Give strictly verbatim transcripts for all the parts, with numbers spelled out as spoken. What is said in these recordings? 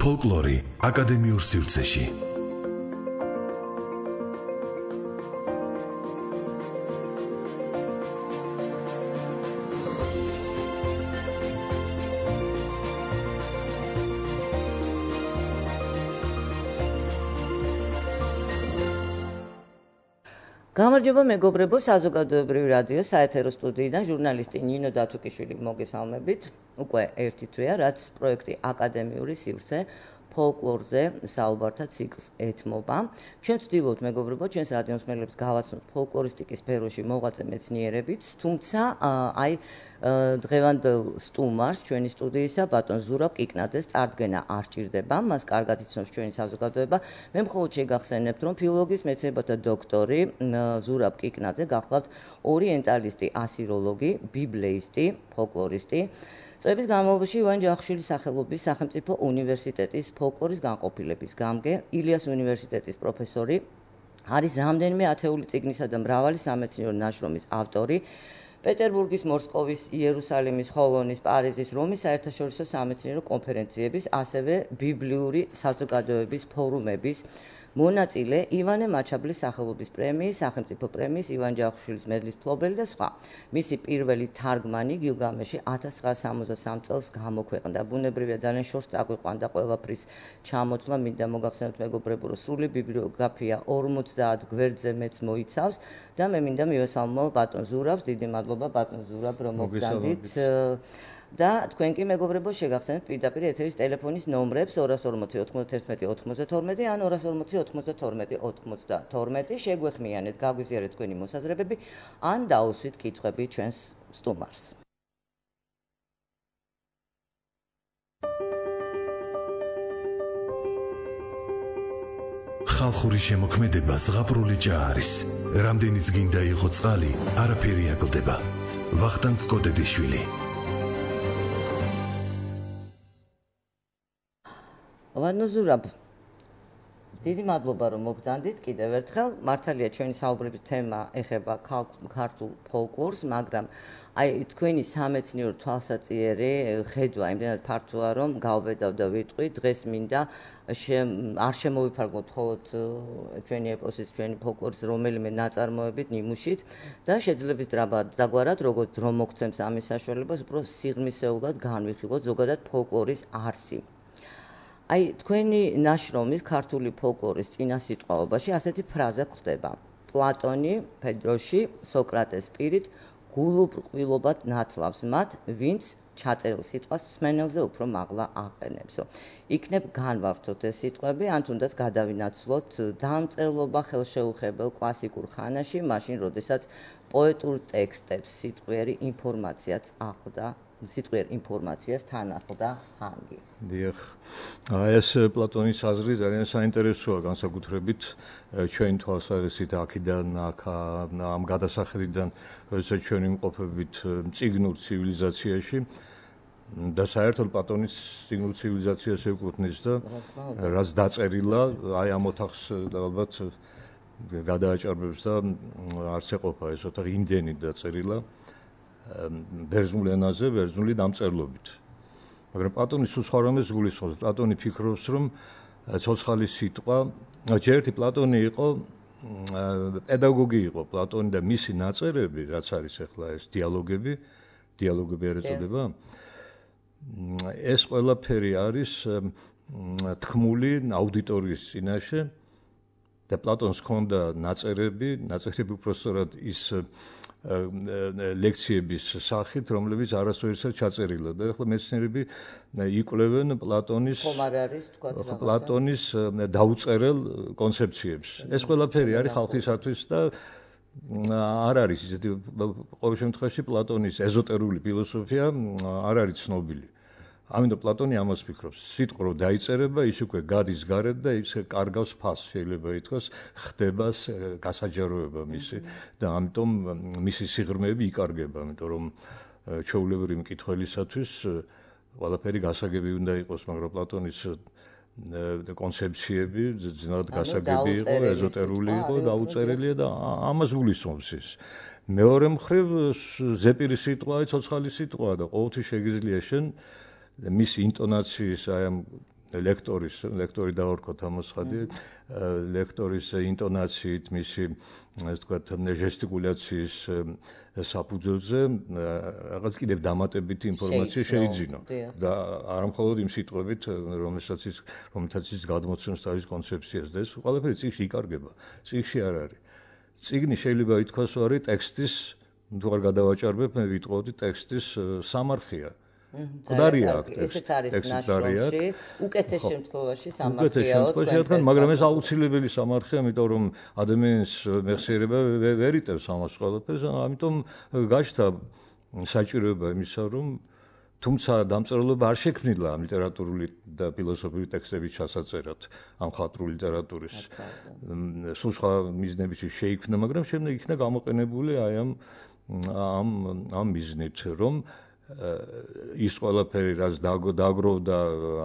ფოლკლორი აკადემიურ სივრცეში. გამარჯობა მეგობრებო, საზოგადოებრივი რადიო საეთერო სტუდიიდან ჟურნალისტი ნინო დათუკიშვილი მოგესალმებით. უკვე ერთი თვეა, რაც პროექტი აკადემიური სივრცე ფოლკლორზე საუბართა ციკლს ეთმობა. ჩვენ ვცდილობთ მეგობრებო, ჩვენს რადიო მსმენელებს გავაცნოთ ფოლკლორისტიკის სფეროში მოღვაწე მეცნიერებიც, თუმცა აი დღევანდელ სტუმარს ჩვენი სტუდიისა ბატონ ზურაბ კიკნაძეს წარდგენა არ სჭირდება, მას კარგად იცნობს ჩვენი საზოგადოება. მე მხოლოდ შეგახსენებთ, რომ ფილოლოგიის მეცნიერებათა დოქტორი ზურაბ კიკნაძე გახლავთ ორიენტალისტი, ასიროლოგი, ბიბლეისტი, ფოლკლორისტი. წლების განმავლობაში ივან ჯავახიშვილის სახელობის სახელმწიფო უნივერსიტეტის ფოლკლორის განყოფილების გამგე, ილიას უნივერსიტეტის პროფესორი, არის რამდენიმე ათეული წიგნისა და მრავალი სამეცნიერო ნაშრომის ავტორი. პეტერბურგის, მოსკოვის, იერუსალიმის, ხოლონის, პარიზის, რომის საერთაშორისო სამეცნიერო კონფერენციების, ასევე ბიბლიური საზოგადოების ფორუმების მონაწილე, ივანე მაჩაბლის სახელობის პრემიის, სახელმწიფო პრემიის, ივან ჯავახიშვილის მედლის მფლობელი და სხვა. მისი პირველი თარგმანი გილგამეში ათას ცხრაასა სამოცდასამ წელს გამოქვეყნდა. ბუნებრივია ძალიან შორს წაგვიყვანდა ყველაფრის ჩამოთვლა, მინდა მოგახსენოთ მეგობრებო, რომ სრული ბიბლიოგრაფია ორმოცდაათ გვერდზე მეც მოიცავს და მე მინდა მივესალმო ბატონ ზურაბს, დიდი მადლობა ბატონ ზურაბ, რომ მოგზავნით. და თქვენ კი მეგობრებო შეგახსენებთ პირდაპირ ეთერის ტელეფონის ნომრებს ორას ორმოცი ოთხმოცდათერთმეტი ოთხმოცდათორმეტი ან ორას ორმოცი ოთხმოცდათორმეტი ოცდათორმეტი შეგვეხმიანეთ, გაგვიზიარეთ თქვენი მოსაზრებები ან დაუსვით კითხვები ჩვენს სტუმარს. ხალხური შემოქმედება ზღაპრული ჭა არის. რამდენიც გინდა იყო წყალი, არაფერი აკლდება. ვახტანგ კოდედიშვილი. ბატონ ზურაბ, დიდი მადლობა რომ მოგზანდით კიდევ ერთხელ. მართალია ჩვენი საუბრების თემა ეხება ქართულ ფოლკლორს, მაგრამ აი თქვენი სამეცნიერო თვალსაჩინო ხედვა იმდენად ფართოა, რომ გავბედავ და ვიტყვი, დღეს მინდა არ შემოვიფარგლოთ მხოლოდ ჩვენი ეპოსის, ჩვენი ფოლკლორის რომელიმე ნაწარმოებით, ნიმუშით და შეძლების დაგვარად, როგორც დრო მოგცემს ამის საშუალებას, უფრო სიღრმისეულად განვიხილოთ ზოგადად ფოლკლორის არსი. აი თქვენი ნაშრომის ქართული ფოლკლორის წინასიტყვაობაში ასეთი ფრაზა გვხვდება: პლატონი ფედროში სოკრატეს პირით გულუბრყვილობად ნათლავს მათ, ვინც ჩაწერილ სიტყვას მსმენელზე უფრო მაღლა აყენებსო. იქნებ განვავრცოთ ეს სიტყვები, ან თუნდაც გადავინაცვლოთ დამწერლობა ხელშეუხებელ კლასიკურ ხანაში, მაშინ როდესაც პოეტურ ტექსტებს სიტყვიერი ინფორმაციაც ახლდა სიტყვიერ ინფორმაციას თან ახლდა ჰანგი. დიახ. ეს პლატონის აზრი ძალიან საინტერესოა, განსაკუთრებით ჩვენი თვალსაზრისით აქედან აქ ამ გადასახედიდან, როდესაც ჩვენ ვიმყოფებით წიგნურ ცივილიზაციაში და საერთოდ პლატონის წიგნურ ცივილიზაციას ეკუთვნის და რაც დაწერილა, აი ამ ოთახს ალბათ გადააჭარბებს და არც ეყოფა ეს ოთახი იმდენი დაწერილა ბერძნულ ენაზე, ბერძნული დამწერლობით. მაგრამ პლატონი სულ სხვა რამეს გულისხმობს. პლატონი ფიქრობს, რომ ცოცხალი სიტყვა, ჯერეთი პლატონი იყო პედაგოგი იყო პლატონი და მისი ნაწერები, რაც არის ახლა ეს დიალოგები, დიალოგები არ ეწოდება. ეს ყველაფერი არის თქმული აუდიტორიის წინაშე და პლატონს ჰქონდა ნაწერები, ნაწერები უბრალოდ ის ლექციების სახით, რომლებიც არასოდეს ჩაწერილა და ახლა მეცნიერები იკვლევენ პლატონის პლატონის დაუწერელ კონცეფციებს. ეს ყველაფერი არის ხალხისათვის და არ არის ისეთი ყოველ შემთხვევაში პლატონის ეზოტერული ფილოსოფია არ არის ცნობილი. ამიტომ პლატონი ამას ფიქრობს. სიტყვა რო დაიწერება, ის უკვე გადის გარეთ და ის კარგავს ფასს, შეიძლება ითქვას, ხდება გასაჯაროება მისი და ამიტომ მისი სიღრმეები იკარგება, იმიტომ რომ ჩვეულებრივი მკითხველისათვის ყველაფერი გასაგები უნდა იყოს, მაგრამ პლატონის კონცეფციები ძნელად გასაგები იყო, ეზოტერული იყო, დაუწერელია და ამას გულისხმობს ის. მეორე მხრივ ზეპირი სიტყვაა, ცოცხალი სიტყვაა და ყოველთვის შეგიძლია შენ მის ინტონაციის აი ამ ლექტორის, ლექტორი დავარქოთ ამას ხადი, ლექტორის ინტონაციით, მისი ასე ვთქვათ, ჟესტიკულაციის საფუძველზე რაღაც კიდევ დამატებითი ინფორმაცია შეიძინო და არა მხოლოდ იმ სიტყვებით, რომელსაც ის რომელთაც ის გადმოცემს თავის კონცეფციას და ეს ყველაფერი წიგნში იკარგება. წიგნში არ არის. წიგნი შეიძლება ითქვას არის ტექსტის, თუ არ გადავაჭარბებ, მე ვიტყოდი ტექსტის სამარხია. მკვდარია აქ ესეც არის ნაშრომში, უკეთეს შემთხვევაში სამარხია. უკეთეს შემთხვევაში რადგან, მაგრამ ეს აუცილებელი სამარხია, იმიტომ რომ ადამიანის მეხსიერება ვერ იტევს ამას ყველაფერს, ამიტომ გაჩნდა საჭიროება იმისა, რომ თუმცა დამწერლობა არ შექმნილა ლიტერატურული და ფილოსოფიური ტექსტების ჩასაწერად ამ ხატრული ლიტერატურის. სულ სხვა მიზნებით შეიქმნა, მაგრამ შემდეგ იქნა გამოყენებული აი ამ ამ ამ მიზნით, რომ ის ყველაფერი რაც დაგროვდა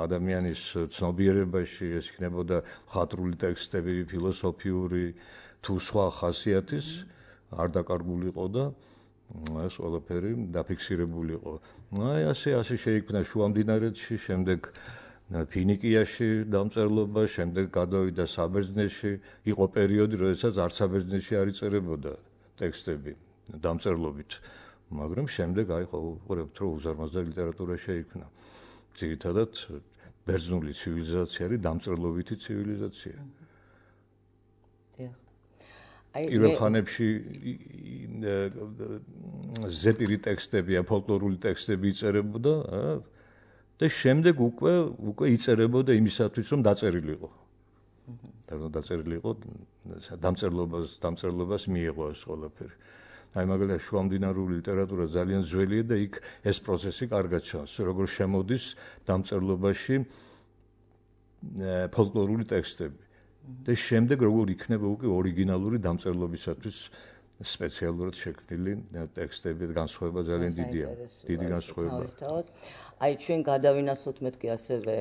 ადამიანის ცნობიერებაში, ეს იქნებოდა ხატრული ტექსტები, ფილოსოფიური თუ სხვა ხასიათის, არ დაკარგულიყო და ეს ყველაფერი დაფიქსირებული იყო. აი ასე ასე შეიქმნა შუამდინარეთში, შემდეგ ფინიკიაში დამწერლობა, შემდეგ გადავიდა საბერძნეთში, იყო პერიოდი, როდესაც არც საბერძნეთში არ იწერებოდა ტექსტები დამწერლობით. მაგრამ შემდეგ აი ყოფილებთ რომ უზარმაზარი ლიტერატურა შეიქმნა. ძირითადად ბერძნული ცივილიზაცია არის დამწერლობითი ცივილიზაცია. პირველ ხანებში ზეპირი ტექსტები, ფოლკლორული ტექსტები იწერებოდა და შემდეგ უკვე უკვე იწერებოდა იმისათვის რომ დაწერილიყო. და რომ დაწერილიყო დამწერლობას დამწერლობას მიიღო ეს ყველაფერი. აი მაგალითად შუამდინარული ლიტერატურა ძალიან ძველია და იქ ეს პროცესი კარგად ჩანს, როგორ შემოდის დამწერლობაში ფოლკლორული ტექსტები. და შემდეგ როგორ იქნება უკვე ორიგინალური დამწერლობისათვის სპეციალურად შექმნილი ტექსტები, განსხვავება ძალიან დიდია. დიდი განსხვავება. აი ჩვენ გადავინახოთ მეთქი ასევე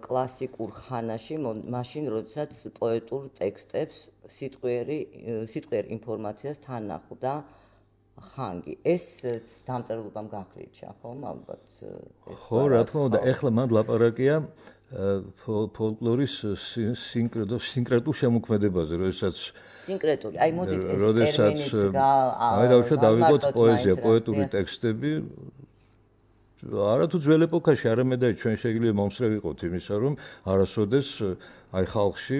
კლასიკურ ხანაში, მაშინ როდესაც პოეტურ ტექსტებს სიტყვიერი სიტყვიერ ინფორმაციას თან ახლდა ხანგი. ეს დამწერლობამ განხრიჩა, ხომ, ალბათ. ხო, რა თქმა უნდა, ეხლა მანდ ლაპარაკია ფოლკლორის სინკრეტულ სინკრეტულ შემოქმედებაზე, როდესაც სინკრეტული, აი მოდით ეს ტერმინიც გა აი დავშვა დავიღოთ პოეზია, პოეტური ტექსტები. არათუ ძველ ეპოქაში, არამედ აი ჩვენ შეიძლება მომსწრე ვიყოთ იმისა, რომ არასოდეს აი ხალხში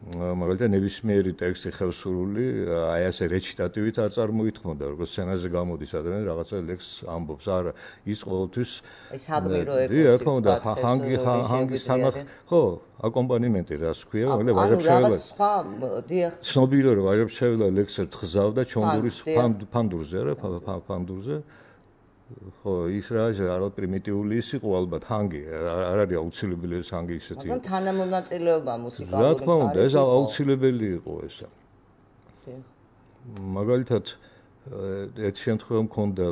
მაგალითად ნებისმიერი ტექსტი ხევსურული, აი ასე რეჩიტატივით არ წარმოითქმოდა, როგორც სცენაზე გამოდის ადამიანი რაღაცა ლექსს ამბობს, არა, ის ყოველთვის ის ჰაგმიროებს. დი, რა თქმა უნდა, ჰანგი ჰანგი სანახ, ხო, აკომპანიმენტი რას ქვია, მაგალითად ვაჟებშეველა. ანუ სხვა, დიახ. ცნობილია რომ ვაჟებშეველა ლექსს თხზავდა ჩონგურის ფანდურზე, არა, ფანდურზე. ხო, ის რა არა პრიმიტიული ის იყო ალბათ ჰანგი, არ არის აუცილებელი ეს ჰანგი ისეთი. მაგრამ თანამონაწილეობა მუსიკალური. რა თქმა უნდა, ეს აუცილებელი იყო ესა. მაგალითად ერთ შემთხვევაში მქონდა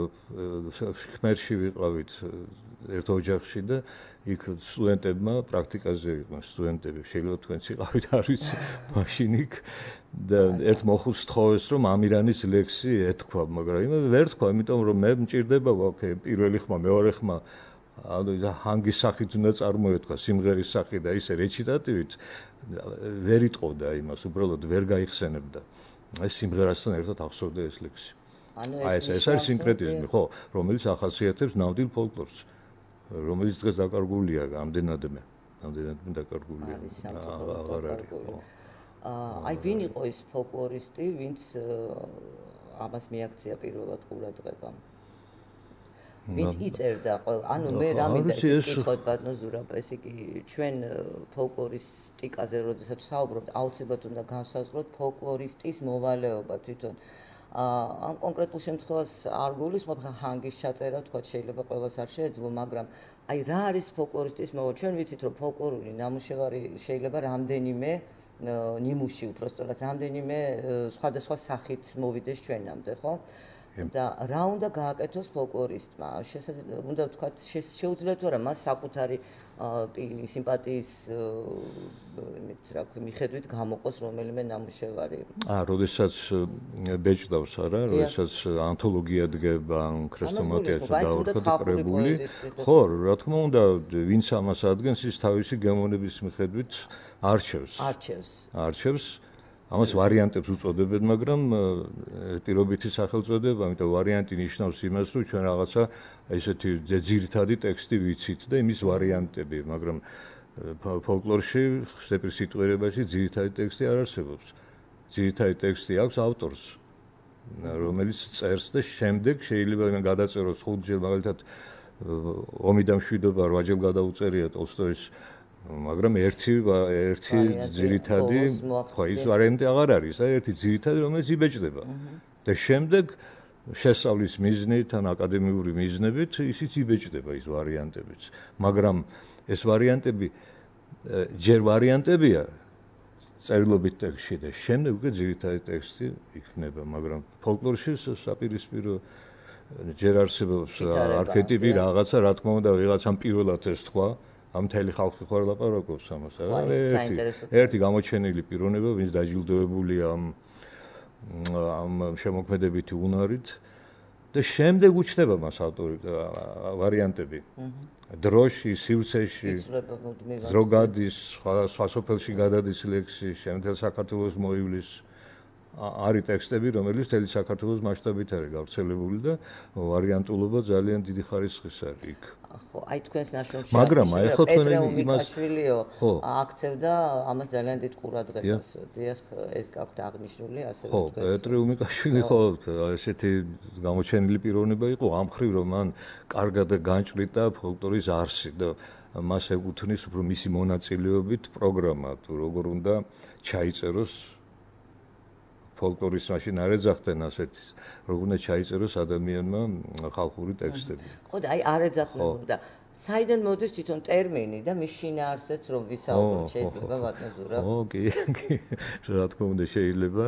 ხმერში ვიყავით ერთ ოჯახში და იქ სტუდენტებმა პრაქტიკაზე იყვნენ სტუდენტები, შეიძლება თქვენც იყავით, არ ვიცი, მაშინ იქ და ერთ მოხუცს თხოვეს რომ ამირანის ლექსი ეთქვა, მაგრამ იმე ვერ თქვა, იმიტომ რომ მე მჭირდება ვაკე პირველი ხმა, მეორე ხმა, ანუ ჰანგის სახით უნდა წარმოეთქვა, სიმღერის სახით და ისე რეჩიტატივით ვერ იტყოდა იმას, უბრალოდ ვერ გაიხსენებდა. აი სიმღერასთან ერთად ახსოვდა ეს ლექსი. აი ეს ეს არის სინკრეტიზმი, ხო, რომელიც ახასიათებს ნამდვილ ფოლკლორს. რომელიც დღეს დაკარგულია ამდენადმე, ამდენადმე დაკარგულია. აღარ არის. აი ვინ იყო ის ფოლკლორისტი, ვინც ამას მიაქცია პირველად ყურადღებამ? ვინც იწერდა ყოველ, ანუ მე რა მინდა იცით ბატონო ზურაბ, ესე იგი ჩვენ ფოლკლორისტიკაზე როდესაც ვსაუბრობთ, აუცილებლად უნდა განსაზღვროთ ფოლკლორისტის მოვალეობა თვითონ. ამ კონკრეტულ შემთხვევას არ გულისხმობ, ჰანგის ჩაწერა თქვა შეიძლება ყველას არ შეეძლო, მაგრამ აი რა არის ფოლკლორისტის მოვალეობა? ჩვენ ვიცით რომ ფოლკლორული ნამუშევარი შეიძლება რამდენიმე ნიმუში უბრალოდ რამდენიმე სხვადასხვა სახით მოვიდეს ჩვენამდე, ხო? და რა უნდა გააკეთოს ფოლკლორისტმა? უნდა ვთქვათ, შეუძლია თუ არა მას საკუთარი სიმპათიის იმით რა ქვია მიხედვით გამოყოს რომელიმე ნამუშევარი. აა, როდესაც ბეჭდავს არა, როდესაც ანთოლოგია დგება, ან ქრესტომატიაზე დაურქვა კრებული. ხო, რა თქმა უნდა, ვინც ამას ადგენს, ის თავისი გემოვნების მიხედვით არჩევს. არჩევს. არჩევს. ამას ვარიანტებს უწოდებენ, მაგრამ პირობითი სახელწოდება, ამიტომ ვარიანტი ნიშნავს იმას, რომ ჩვენ რაღაცა ესეთი ძირითადი ტექსტი ვიცით და იმის ვარიანტები, მაგრამ ფოლკლორში, ზეპირ სიტყვიერებაში ძირითადი ტექსტი არ არსებობს. ძირითადი ტექსტი აქვს ავტორს, რომელიც წერს და შემდეგ შეიძლება იმან გადაწეროს ხუთჯერ, მაგალითად ომი და მშვიდობა რვაჯერ გადაუწერია ტოლსტოის, მაგრამ ერთი ერთი ძირითადი, ხო, ის ვარიანტი აღარ არის, აი ერთი ძირითადი, რომელიც იბეჭდება. და შემდეგ შესწავლის მიზნით ან აკადემიური მიზნებით ისიც იბეჭდება ის ვარიანტებიც. მაგრამ ეს ვარიანტები ჯერ ვარიანტებია წერილობით ტექსტში და შემდეგ უკვე ძირითადი ტექსტი იქნება, მაგრამ ფოლკლორში საპირისპირო ჯერ არსებობს არქეტიპი რაღაცა, რა თქმა უნდა, ვიღაცამ პირველად ეს თქვა, ამ მთელი ხალხი ხო არ ლაპარაკობს ამას, არა? ერთი ერთი გამოჩენილი პიროვნება, ვინც დაჯილდოებულია ამ ამ შემოქმედებითი უნარით და შემდეგ უჩნდება მას ავტორი ვარიანტები. დროში, სივრცეში, დრო გადის, სხვა სოფელში გადადის ლექსი, შემთელ საქართველოს მოივლის არის ტექსტები, რომელიც მთელი საქართველოს მასშტაბით არის გავრცელებული და ვარიანტულობა ძალიან დიდი ხარისხის არის იქ. ხო, აი თქვენს ნაშრომში მაგრამ აი ხო თქვენ იმას აქცევდა ამას ძალიან დიდ ყურადღებას. დიახ, ეს გაქვთ აღნიშნული, ასე რომ თქვენ. ხო, პეტრე უმიკაშვილი ხო ესეთი გამოჩენილი პიროვნება იყო, ამ მხრივ რომ მან კარგად განჭრიდა ფოლკლორის არსი და მას ეკუთვნის უფრო მისი მონაწილეობით პროგრამა, თუ როგორ უნდა ჩაიწეროს ფოლკლორის მაშინ არ ეძახდნენ ასეთი, როგორ უნდა ჩაიწეროს ადამიანმა ხალხური ტექსტები. ხო და აი არ ეძახდნენ და საიდან მოდის თვითონ ტერმინი და მის შინაარსიც რომ ვისაუბროთ შეიძლება ვატნებურა. ხო, კი, კი. რა თქმა უნდა შეიძლება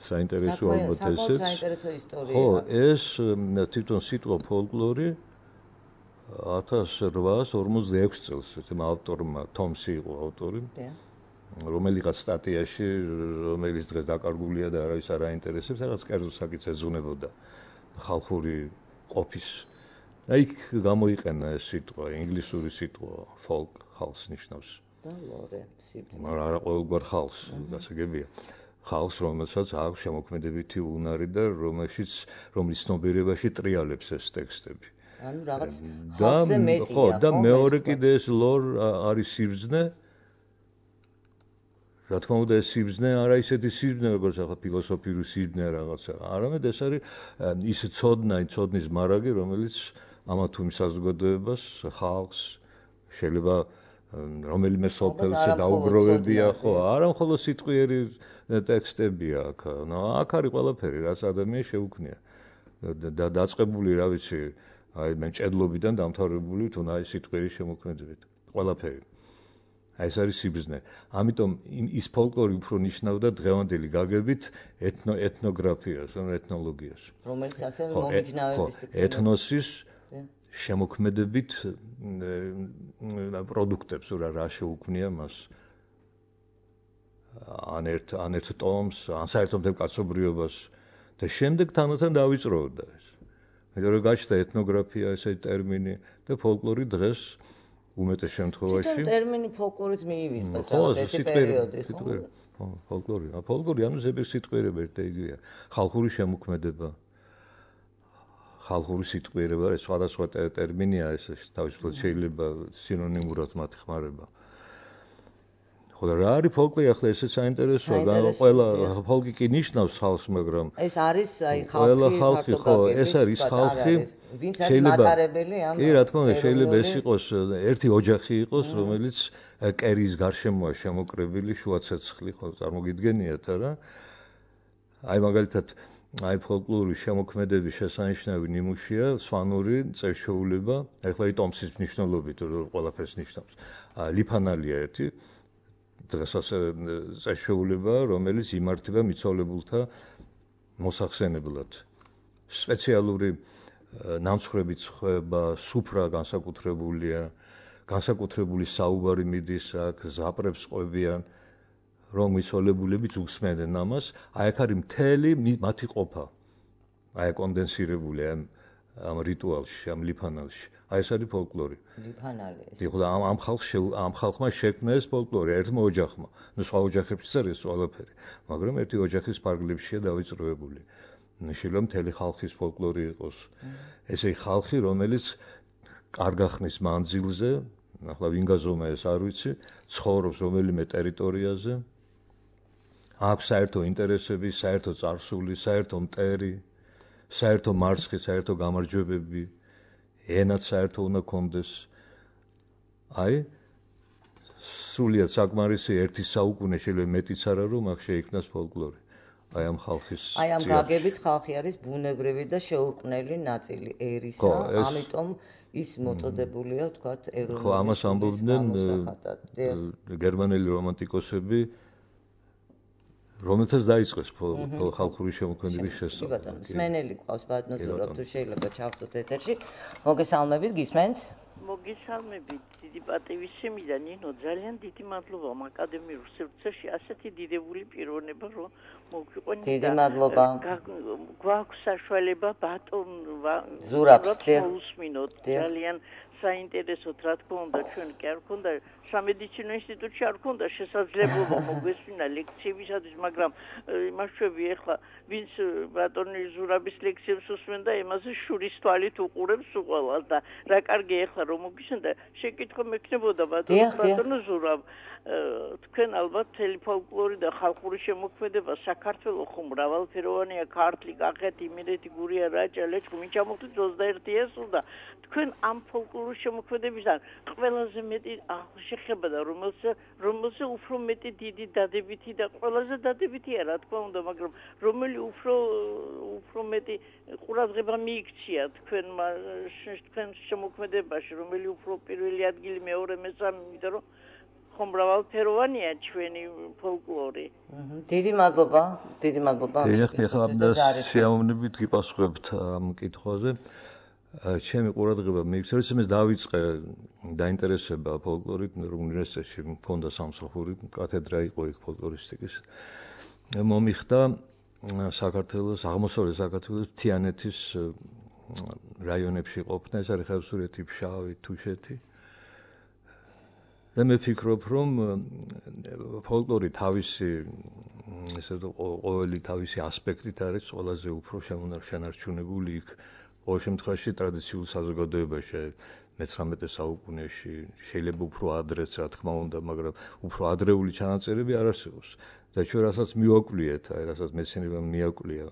საინტერესო ალბათ ესეც. საინტერესო ისტორია. ხო, ეს თვითონ სიტყვა ფოლკლორი ათას რვაას ორმოცდაექვსი წელს თემ ავტორმა თომსი იყო ავტორი. რომელიღაც სტატიაში, რომელიც დღეს დაკარგულია და არავის არ აინტერესებს, რაღაც კერძო საკითხს ეძღვნებოდა ხალხური ყოფის. და იქ გამოიყენა ეს სიტყვა, ინგლისური სიტყვა, folk, ხალხს ნიშნავს. და ლორე, სიტყვა. მაგრამ არა ყოველგვარ ხალხს, გასაგებია. ხალხს, რომელსაც აქვს შემოქმედებითი უნარი და რომელშიც, რომლის ცნობიერებაში ტრიალებს ეს ტექსტები. ანუ რაღაც ხალხზე მეტია, ხო? და მეორე კიდე ეს ლორ არის სიბრძნე. რა თქმა უნდა ეს სიბრძნე არა ისეთი სიბრძნე როგორც ახლა ფილოსოფიური სიბრძნე რაღაცა, არამედ ეს არის ის ცოდნა, ცოდნის მარაგი, რომელიც ამა თუ იმ საზოგადოებას, ხალხს შეიძლება რომელიმე სოფელში დაუგროვებია, ხო, არა მხოლოდ სიტყვიერი ტექსტებია აქ. ნუ აქ არის ყველაფერი, რაც ადამიანს შეუქმნია. და დაწყებული, რა ვიცი, აი მენჭედლობიდან დამთავრებული თუნდაც სიტყვიერი შემოქმედებით. ყველაფერი. აი ეს არის სიბრძნე. ამიტომ ის ფოლკლორი უფრო ნიშნავდა დღევანდელი გაგებით ეთნო ეთნოგრაფიას, ან ეთნოლოგიას. რომელიც ასევე მომიჯნავების ეთნოსის შემოქმედებით პროდუქტებს რა რა შეუქმნია მას. ან ერთ ან ერთ ტომს, ან საერთოდ მთელ კაცობრიობას და შემდეგ თანათან დავიწროვდა ეს. მეტყვი რომ გაჩნდა ეთნოგრაფია ესეთი ტერმინი და ფოლკლორი დღეს უმეტეს შემთხვევაში თვითონ ტერმინი ფოლკლორის მიივიწყეს რაღაცა პერიოდი, ხო? ხო, ფოლკლორი. ა ფოლკლორი ანუ ზეპირ სიტყვიერება ერთ და იგივეა. ხალხური შემოქმედება. ხალხური სიტყვიერება, ეს სხვადასხვა ტერმინია, ეს თავისუფლად შეიძლება სინონიმურად მათი ხმარება. ხო და რა არის ფოლკლორი ახლა ესეც საინტერესოა, ყველა ფოლკი კი ნიშნავს ხალხს, მაგრამ ეს არის აი ხალხი, ყველა ხალხი, ხო, ეს არის ხალხი, შეიძლება კი რა თქმა უნდა შეიძლება ეს იყოს ერთი ოჯახი იყოს, რომელიც კერის გარშემოა შემოკრებილი შუა ცეცხლი, ხო, წარმოგიდგენიათ არა? აი მაგალითად აი ფოლკლორი შემოქმედების შესანიშნავი ნიმუშია სვანური წესშეულება, ახლა იტომსის მნიშვნელობით ყველაფერს ნიშნავს. ლიფანალია ერთი დღესაც წესშეულება, რომელიც იმართება მიცვალებულთა მოსახსენებლად. სპეციალური ნამცხრები ცხება, სუფრა განსაკუთრებულია, განსაკუთრებული საუბარი მიდის აქ, ზაპრებს ყვებიან, რომ მიცვალებულებიც უსმენდნენ ამას, აი აქ არის მთელი მათი ყოფა. აი კონდენსირებული ამ ამ რიტუალში, ამ ლიფანალში. აი ეს არის ფოლკლორი. ლიფანალი ეს. ეხლა ამ ამ ხალხს ამ ხალხმა შექმნა ეს ფოლკლორი ერთმა ოჯახმა. ნუ სხვა ოჯახებშიც არის ყველაფერი, მაგრამ ერთი ოჯახის ფარგლებშია დავიწროებული. შეიძლება მთელი ხალხის ფოლკლორი იყოს. ესე ხალხი, რომელიც კარგა ხნის მანძილზე, ახლა ვინ გაზომა ეს არ ვიცი, ცხოვრობს რომელიმე ტერიტორიაზე, აქვს საერთო ინტერესები, საერთო წარსული, საერთო მტერი, საერთო მარცხი, საერთო გამარჯვებები, ენაც საერთო უნდა კონდეს. აი, სრულიად საკმარისი ერთი საუკუნე შეიძლება მეტიც არა რომ აქ შეიქმნას ფოლკლორი. აი ამ ხალხის აი ამ გაგებით ხალხი არის ბუნებრივი და შეურყვნელი ნაწილი ერისა, ამიტომ ის მოწოდებულია, ვთქვათ, ეროვნული. ხო, ამას ამბობდნენ გერმანელი რომანტიკოსები, რომელთაც დაიწყეს ხალხური შემოქმედების შესწავლა. კი ბატონო, მსმენელი ყავს ბატონო ზურაბ, თუ შეიძლება ჩავხდოთ ეთერში. მოგესალმებით, გისმენთ? მოგესალმებით, დიდი პატივისცემი და ნინო, ძალიან დიდი მადლობა აკადემიურ სივრცეში ასეთი დიდებული პიროვნება რომ მოგიყვანეთ. დიდი მადლობა. გვაქვს საშუალება ბატონ ზურაბს უსმინოთ. ძალიან საინტერესოდ რა თქმა უნდა ჩვენ კი არ ქონდა სამედიცინო ინსტიტუტში არ ქონდა შესაძლებლობა მოგვესმინა ლექციებისათვის, მაგრამ იმაშვები ეხლა ვინც ბატონი ზურაბის ლექციებს უსმენდა, იმაზე შურის თვალით უყურებს უყოლას და რა კარგი ეხლა რომ მოგისმენდა, შეკითხვა მექნებოდა ბატონო ზურაბ, თქვენ ალბათ მთელი ფოლკლორი და ხალხური შემოქმედება საქართველოს ხო მრავალფეროვანია, ქართლი, კახეთი, იმერეთი, გურია, რაჭა, ლეჩხუმი, ვინ ჩამოხდით ოცდაერთი ესულდა. თქვენ ამ ფოლკლორის შემოქმედებიდან ყველაზე მეტი შეხება და რომელზე რომელზე უფრო მეტი დიდი დადებითი და ყველაზე დადებითია რა თქმა უნდა, მაგრამ რომელი უფრო უფრო მეტი ყურადღება მიიქცია თქვენმა თქვენ შემოქმედებაში, რომელი უფრო პირველი ადგილი, მეორე, მესამე, იმიტომ რომ ხომ მრავალფეროვანია ჩვენი ფოლკლორი. დიდი მადლობა, დიდი მადლობა. ეხლა ეხლა შეამოვნებით გიპასუხებთ ამ კითხვაზე. ჩემი ყურადღება მიიქცია, რომ ეს დავიწყე დაინტერესება ფოლკლორით, უნივერსიტეტში მქონდა სამსახური, კათედრა იყო იქ ფოლკლორისტიკის. მომიხდა საქართველოს, აღმოსავლეთ საქართველოს თიანეთის რაიონებში ყოფნა, ეს არის ხევსურეთი, ფშავი, თუშეთი. და მე ვფიქრობ, რომ ფოლკლორი თავისი ესე ყოველი თავისი ასპექტით არის ყველაზე უფრო შემონარჩუნებული იქ. ყოველ შემთხვევაში ტრადიციულ საზოგადოებაში მეცხრამეტე საუკუნეში შეიძლება უფრო ადრეც რა თქმა უნდა, მაგრამ უფრო ადრეული ჩანაწერები არ არსებობს. და ჩვენ რასაც მივაკვლიეთ, აი რასაც მეცნიერებამ მიაკვლია,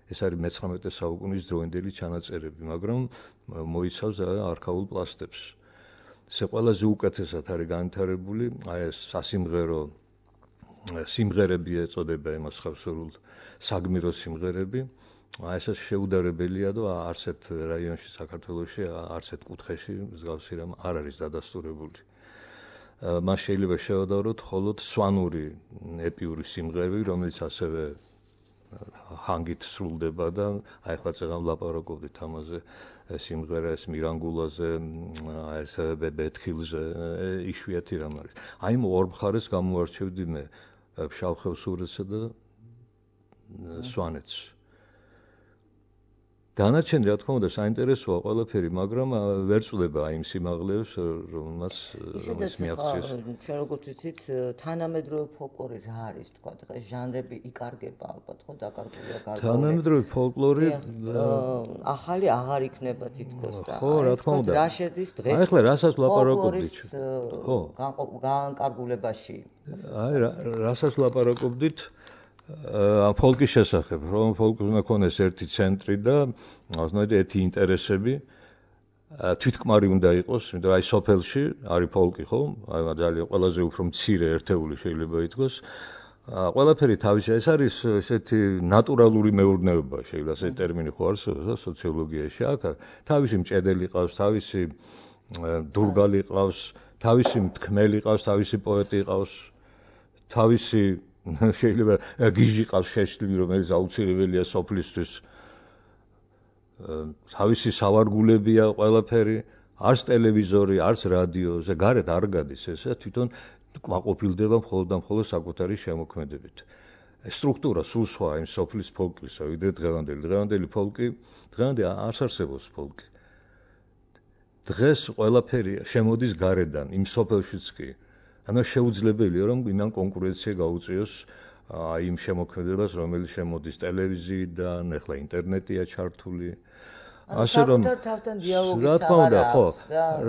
ეს არის მეცხრამეტე საუკუნის დროინდელი ჩანაწერები, მაგრამ მოიცავს არქაულ პლასტებს. ესე ყველაზე უკეთესად არის განვითარებული, აი ეს სასიმღერო სიმღერები ეწოდება იმას ხევსურულ საგმირო სიმღერები. აი ეს შეუდარებელია და არცერთ რაიონში საქართველოში, არცერთ კუთხეში მსგავსი რამ არ არის დადასტურებული. მას შეიძლება შევადაროთ მხოლოდ სვანური ეპიური სიმღერები, რომელიც ასევე ჰანგით სრულდება და აი ახლა წეგან ვლაპარაკობდით ამაზე, სიმღერა ეს მირანგულაზე, ეს ბეთხილზე, იშვიათი რამ არის. აი იმ ორ მხარეს გამოარჩევდი მე ფშავ ხევსურეთსა და სვანეთს. დანარჩენი რა თქმა უნდა საინტერესოა ყველაფერი, მაგრამ ვერ წვდება იმ სიმაღლეებს, რომელმაც რომელიც მიაღწიეს. ჩვენ როგორც ვიცით, თანამედროვე ფოლკლორი რა არის, თქვა, დღეს ჟანრები იკარგება ალბათ, ხო, დაკარგულია გარკვეული. თანამედროვე ფოლკლორი ახალი აღარ იქნება თითქოს და. ხო, რა თქმა უნდა. რა შედის დღეს? აი ახლა რასაც ლაპარაკობდით. ხო, განკარგულებაში. აი რასაც ლაპარაკობდით ამ ფოლკის შესახებ, რომ ფოლკს უნდა ქონდეს ერთი ცენტრი და ასნაირი ერთი ინტერესები, თვითკმარი უნდა იყოს, იმიტომ აი სოფელში არის ფოლკი, ხო? აი ძალიან ყველაზე უფრო მცირე ერთეული შეიძლება ითქვას. ყველაფერი თავისი, ეს არის ესეთი ნატურალური მეურნეობა, შეიძლება ესეთი ტერმინი ხო არსებობს სოციოლოგიაში. აქ თავისი მჭედელი ყავს, თავისი დურგალი ყავს, თავისი მთქმელი ყავს, თავისი პოეტი ყავს, თავისი შეიძლება გიჟი ყავს შეშლილი, რომელიც აუცილებელია სოფლისთვის. თავისი სავარგულებია ყველაფერი, არც ტელევიზორი, არც რადიო, ზე გარეთ არ გადის ესა, თვითონ კმაყოფილდება მხოლოდ და მხოლოდ საკუთარი შემოქმედებით. სტრუქტურა სულ სხვა იმ სოფლის ფოლკლისა, ვიდრე დღევანდელი. დღევანდელი ფოლკი, დღევანდელი არ არსებობს ფოლკი. დღეს ყველაფერი შემოდის გარედან, იმ სოფელშიც კი. ანუ შეუძლებელია, რომ იმან კონკურენცია გაუწიოს აი იმ შემოქმედებას, რომელიც შემოდის ტელევიზიიდან, ახლა ინტერნეტია ჩართული. ასე რომ რა თქმა უნდა, ხო,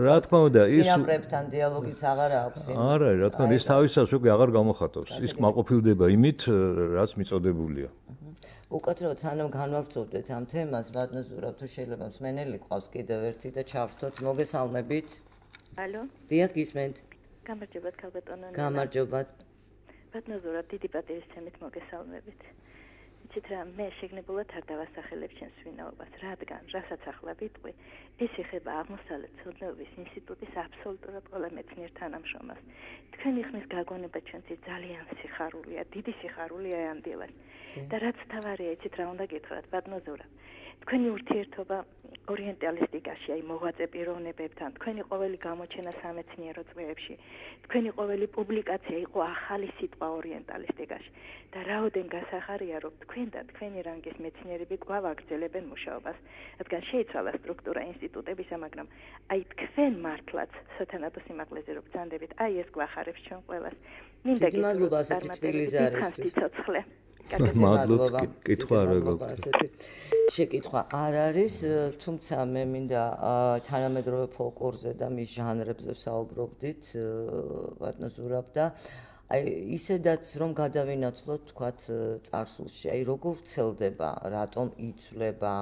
რა თქმა უნდა, ის წინაპრებთან დიალოგიც აღარ აქვს. არა, რა თქმა უნდა, ის თავისას უკვე აღარ გამოხატავს. ის კმაყოფილდება იმით, რაც მიწოდებულია. უკაცრავად სანამ განვავრცობდეთ ამ თემას, ბატონო ზურაბ, თუ შეიძლება მსმენელი ყავს კიდევ ერთი და ჩავრთოთ. მოგესალმებით. ალო. დიახ, გისმენთ. გამარჯობათ, ქალბატონო. გამარჯობათ. ბატონო ზურაბ, დიდი პატივისცემით მოგესალმებით. იცით რა, მე შეგნებულად არ დავასახელებ ჩემს ვინაობას, რადგან, რასაც ახლა ვიტყვი, ეს ეხება აღმოსავლეთ ცოდნეობის ინსტიტუტის აბსოლუტურად ყველა მეცნიერ თანამშრომელს. თქვენი ხმის გაგონება ჩვენთვის ძალიან სიხარულია, დიდი სიხარულია ამ დილას. და რაც თავარია, იცით რა უნდა გითხრათ, ბატონო ზურაბ. თქვენი ურთიერთობა ორიენტალისტიკაში, აი მოღვაწე პიროვნებებთან, თქვენი ყოველი გამოჩენა სამეცნიერო წრეებში, თქვენი ყოველი პუბლიკაცია იყო ახალი სიტყვა ორიენტალისტიკაში. და რაოდენ გასახარია, რომ თქვენ და თქვენი რანგის მეცნიერები კვლავ აგრძელებენ მუშაობას, რადგან შეიცვალა სტრუქტურა ინსტიტუტებისა, მაგრამ აი თქვენ მართლაც სათანადო სიმაღლეზე რო ბრძანდებით, აი ეს გვახარებს ჩვენ ყველას. მინდა დიდი მადლობა ასეთი თბილისი არისთვის. მადლობა, კითხვა რა გქონდა. შეკითხვა არ არის, თუმცა მე მინდა თანამედროვე ფოლკლორზე და მის ჟანრებზე ვსაუბრობდით, ბატონო ზურაბ და აი ისედაც რომ გადავინაცვლოთ თქვათ წარსულში, აი როგორ ვრცელდება, რატომ იცვლება,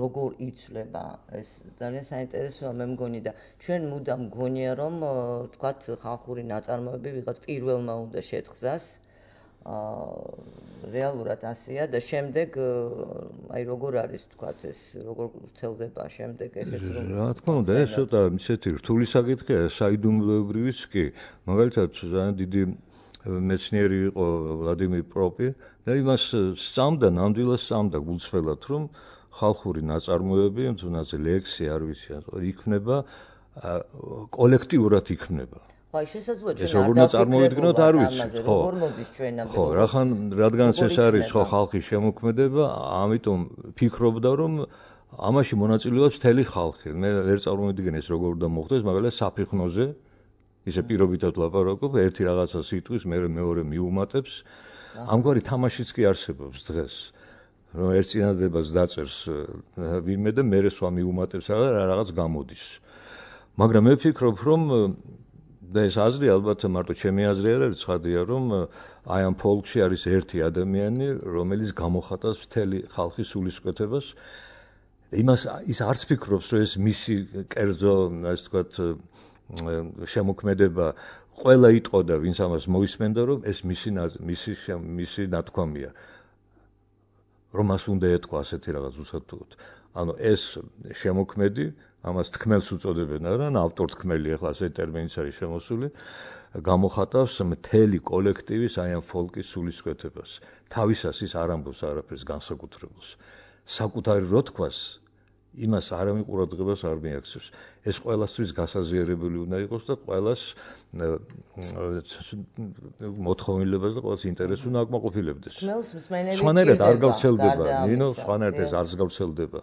როგორ იცვლება, ეს ძალიან საინტერესოა მე მგონი და ჩვენ მუდამ მგონია რომ თქვათ ხალხური ნაწარმოები ვიღაც პირველმა უნდა შეთხზას. აა რეალურად ასეა და შემდეგ აი როგორ არის თქვათ ეს როგორ ვრცელდება შემდეგ ესეც რომ რა თქმა უნდა ეს ცოტა ისეთი რთული საკითხია საიდუმლოებრივიც კი მაგალითად ძალიან დიდი მეცნიერი იყო ვლადიმერ პროპი და იმას სწამდა ნამდვილად სწამდა გულწრფელად რომ ხალხური ნაწარმოები თუნდაც ლექსი არ ვიცი იქნება კოლექტიურად იქნება აი შესაძლოა ჩვენ ეს როგორ წარმოიდგინოთ არ ვიცი ხო როგორ მოდის ჩვენამდე ხო რახან რადგანაც ეს არის ხო ხალხის შემოქმედება ამიტომ ფიქრობდა რომ ამაში მონაწილეობს მთელი ხალხი მე ვერ წარმოვიდგენ ეს როგორ უნდა მოხდეს მაგალითად საფიხნოზე ისე პირობითად ვლაპარაკობ ერთი რაღაცა სიტყვის მე მეორე მიუმატებს ამგვარი თამაშიც კი არსებობს დღეს რომ ერთ წინადადებას დაწერს ვინმე და მე სხვა მიუმატებს რაღაც გამოდის მაგრამ მე ვფიქრობ რომ და ეს აზრი ალბათ მარტო ჩემი აზრი არ არის ცხადია რომ აი ამ ფოლკში არის ერთი ადამიანი რომელიც გამოხატავს მთელი ხალხის სულისკვეთებას იმას ის არც ფიქრობს რომ ეს მისი კერძო ასე ვთქვათ შემოქმედება ყველა იტყოდა ვინც ამას მოისმენდა რომ ეს მისი მისი მისი ნათქვამია რომ მას უნდა ეთქვა ასეთი რაღაც უსათუოდ ანუ ეს შემოქმედი ამას თქმელს უწოდებენ არა ავტორთქმელი ახლა ასე ტერმინიც არის შემოსული გამოხატავს მთელი კოლექტივის აი ამ ფოლკის სულისკვეთებას თავისას ის არ ამბობს არაფერს განსაკუთრებულს საკუთარი რო თქვას იმას არავინ ყურადღებას არ მიაქცევს ეს ყველასთვის გასაზიარებელი უნდა იყოს და ყველას მოთხოვნილებას და ყველას ინტერესს უნდა აკმაყოფილებდეს სხვანაირად არ გავრცელდება ნინო სხვანაირად ეს არც გავრცელდება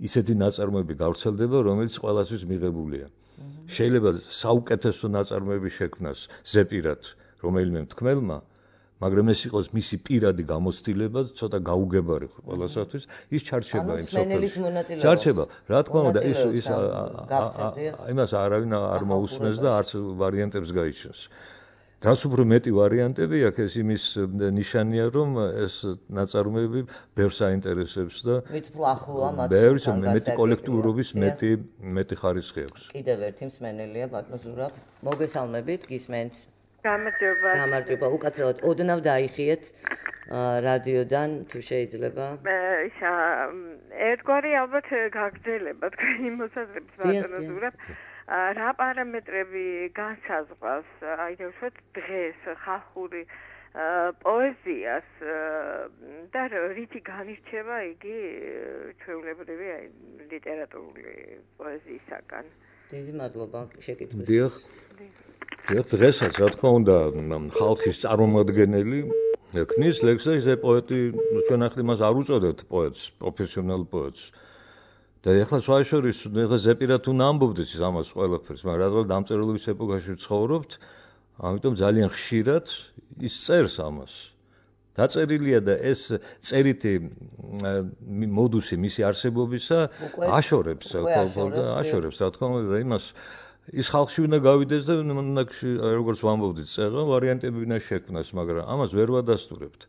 ისეთი ნაწარმოები გავრცელდება რომელიც ყველასთვის მიღებულია შეიძლება საუკეთესო ნაწარმოები შექმნას ზეპირად რომელიმე მთქმელმა მაგრამ ეს იყოს მისი პირადი გამოცდილება ცოტა გაუგებარი ყველასათვის ის ჩარჩება იმ სოფელში ჩარჩება რა თქმა უნდა ის ის იმას არავინ არ მოусმენს და არც ვარიანტებს გაიჩნს რაც უფრო მეტი ვარიანტები აქვს ეს იმის ნიშანია რომ ეს ნაწარმოები ბევრს აინტერესებს და მით უფრო ახლოა მათ ბევრს მეტი კოლექტიურობის მეტი მეტი ხარისხი აქვს კიდევ ერთი მსმენელია ბატონო ზურაბ მოგესალმებით გისმენთ გამარჯობა. გამარჯობა. უკაცრავად ოდნავ დაიხიეთ რადიოდან თუ შეიძლება. ისა ერთგვარი ალბათ გაგრძელება თქვენი მოსაზრების ბატონო ზურაბ. რა პარამეტრები განსაზღვრავს აი ვთქვათ დღეს ხალხური პოეზიას და რითი განირჩევა იგი ჩვეულებრივი ლიტერატურული პოეზიისაგან. დიდი მადლობა შეკითხვის. დიახ. დიახ, დღესაც რა თქმა უნდა ხალხის წარმომადგენელი ეკნის ლექსზე ეს პოეტი ჩვენ ახლა მას არ უწოდებთ პოეტს, პროფესიონალ პოეტს. და ეხლა შუაშორის ეხლა ზეპირად უნდა ამბობდეს ის ამას ყველაფერს, მაგრამ რადგან დამწერლობის ეპოქაში ვცხოვრობთ, ამიტომ ძალიან ხშირად ის წერს ამას. დაწერილია და ეს წერითი მოდუსი მისი არსებობისა აშორებს, აშორებს, რა თქმა უნდა, იმას ის ხალხში უნდა გავიდეს და როგორც ვამბობდით, წერა ვარიანტები უნდა შექმნას, მაგრამ ამას ვერ ვადასტურებთ.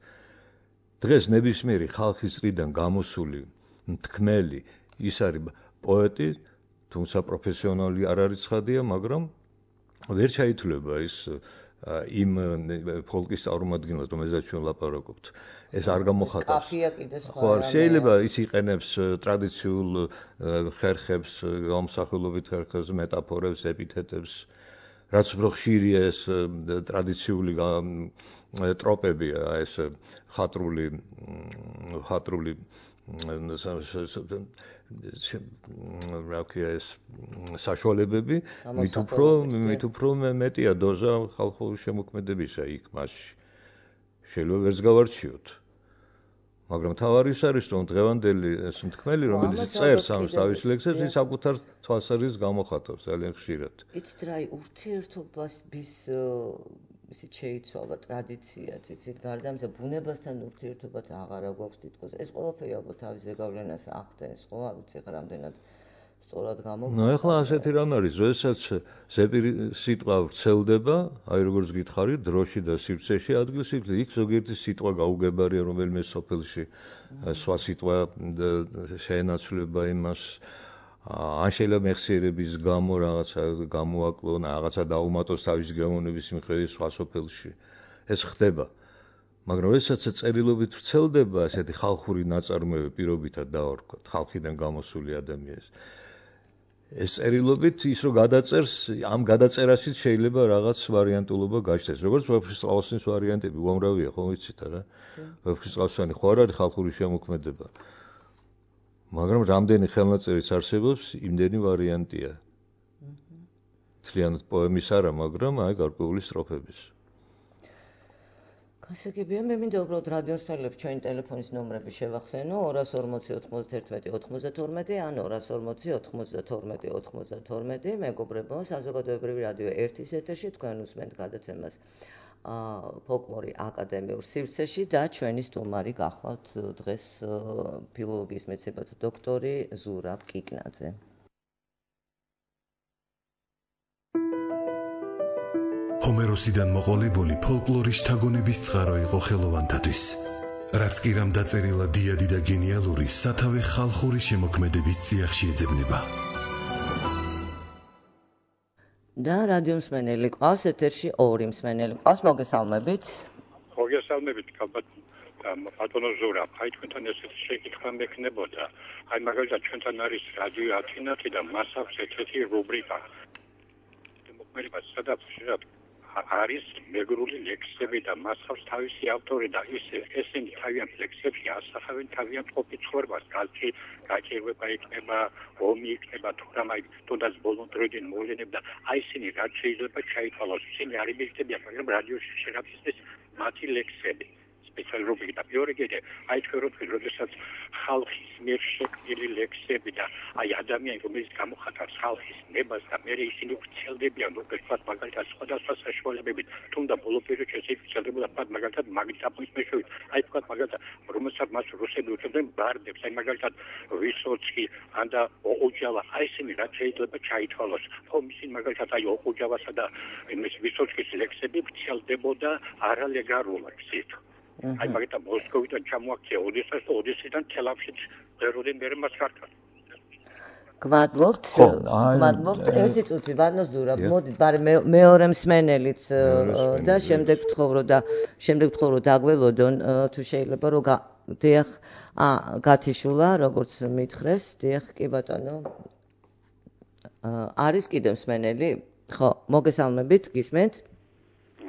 დღეს ნებისმიერი ხალხის წრიდან გამოსული მთქმელი ის არის პოეტი, თუმცა პროფესიონალი არ არის ცხადია, მაგრამ ვერ ჩაითვლება ის იმ ფოლკის წარმომადგენლად, რომელზეც ჩვენ ლაპარაკობთ. ეს არ გამოხატავს. კაფია კიდე სხვა. ხო, შეიძლება ის იყენებს ტრადიციულ ხერხებს, გამოსახულობით ხერხებს, მეტაფორებს, ეპითეტებს, რაც უფრო ხშირია ეს ტრადიციული ტროპები, ეს ხატრული ხატრული რა ქვია ეს საშუალებები მით უფრო მით უფრო მეტია დოზა ხალხური შემოქმედებისა იქ მასში შეიძლება ვერც გავარჩიოთ მაგრამ თავარი ის არის რომ დღევანდელი ეს მთქმელი რომელიც წერს ამ თავის ლექსებს ის საკუთარ თვალსაზრისით გამოხატავს ძალიან ხშირად იცით რა ურთიერთობას bis ისე შეიცვალა ტრადიციაც იცით გარდა ამისა ბუნებასთან ურთიერთობაც აღარა გვაქვს თითქოს ეს ყველაფერი ალბათ თავის ზეგავლენას ახდენს ხო არ ვიცი ხა რამდენად სწორად გამოვიდა ნუ ეხლა ასეთი რამ არის როდესაც ზეპირი სიტყვა ვრცელდება აი როგორც გითხარით დროში და სივრცეში ადგილს იკვლევ იქ ზოგიერთი სიტყვა გაუგებარია რომელიმე სოფელში სხვა სიტყვა შეენაცვლება იმას ან შეიძლება მეხსიერების გამო რაღაცა გამოაკლონ, რაღაცა დაუმატოს თავის გემოვნების მიხედვით სხვა სოფელში. ეს ხდება. მაგრამ როდესაც წერილობით ვრცელდება ასეთი ხალხური ნაწარმოები პირობითად დავარქვათ, ხალხიდან გამოსული ადამიანის. ეს წერილობით ის რომ გადაწერს, ამ გადაწერაშიც შეიძლება რაღაც ვარიანტულობა გაჩნდეს. როგორც ვეფხისტყაოსნის ვარიანტები უამრავია, ხო ვიცით რა? ვეფხისტყაოსანი ხო არ არის ხალხური შემოქმედება. მაგრამ რამდენი ხელნაწერის არსებობს, იმდენი ვარიანტია. თლიანად პოემის არა, მაგრამ აი გარკვეული სტროფების. გასაგებია, მე მინდა უბრალოდ რადიოს მსმენელებს ჩვენი ტელეფონის ნომრები შევახსენო ორას ორმოცი ოცდაათი ოცდათორმეტი ან ორას ორმოცი ოცდათორმეტი ოცდათორმეტი მეგობრებო, საზოგადოებრივი რადიო ერთის ეთერში თქვენ უსმენთ გადაცემას. ფოლკლორი აკადემიურ სივრცეში და ჩვენი სტუმარი გახლავთ დღეს ფილოლოგიის მეცნიერებათა დოქტორი ზურაბ კიკნაძე. ჰომეროსიდან მოყოლებული ფოლკლორის შთაგონების წყარო იყო ხელოვანთათვის. რაც კი რამ დაწერილა დიადი და გენიალური სათავე ხალხური შემოქმედების წიაღში ეძებნება. და რადიო მსმენელი ყავს ეთერში ორი მსმენელი ყავს მოგესალმებით მოგესალმებით ალბათ ბატონო ზურაბ აი თქვენთან ესეთი შეკითხვა მექნებოდა აი მაგალითად ჩვენთან არის რადიო ათინათი და მას აქვს ესეთი რუბრიკა მოქმედება სადაც შეიძლება არის მეგრული ლექსები და მას აქვს თავისი ავტორი და ისე ესენი თავიანთ ლექსებში ასახავენ თავიანთ ყოფით ცხოვრებას კალთი გაჭირვება იქნება ომი იქნება თუ რა მაგ თუნდაც ბოლო დროიდან მოვლენები და აი ისინი რაც შეიძლება ჩაითვალოს ისინი არ იმეცდებიან მაგრამ რადიოში შეგაფიცდეს მათი ლექსები სპეციალური და პიორიგედე აი თქვენ როცა როდესაც ხალხის მიერ შექმნილი ლექსები და აი ადამიანი რომელიც გამოხატავს ხალხის ნებას და მე ისინი ვრცელდებიან როგორც მაგალითად სხვადასხვა საშუალებებით თუმცა ბოლო პერიოდში ეს ვრცელდებოდა ფაქტ მაგალითად მაგნიტოფონის მეშვეობით აი თქვა მაგალითად რომელსაც მას რუსები უწოდებენ ბარდებს აი მაგალითად ვისოცკი ან და ოყუჯავა აი ისინი რაც შეიძლება ჩაითვალოს ხო ისინი მაგალითად აი ოყუჯავასა და იმის ვისოცკის ლექსები ვრცელდებოდა არალეგალურად ისეთ აი მაგითა მოსკოვიდან ჩამოაქცია ოდესას და ოდესიდან თელავშიც ეროდენ მე მას ქართა გმადლობთ გმადლობთ ერთი წუთი ბანო ზურაბ მოდით ბარე მეორე მსმენელიც და შემდეგ ვთხოვრო და შემდეგ ვთხოვრო დაგველოდონ თუ შეიძლება რომ დიახ ა გათიშულა როგორც მითხრეს დიახ კი ბატონო არის კიდევ მსმენელი ხო მოგესალმებით გისმენთ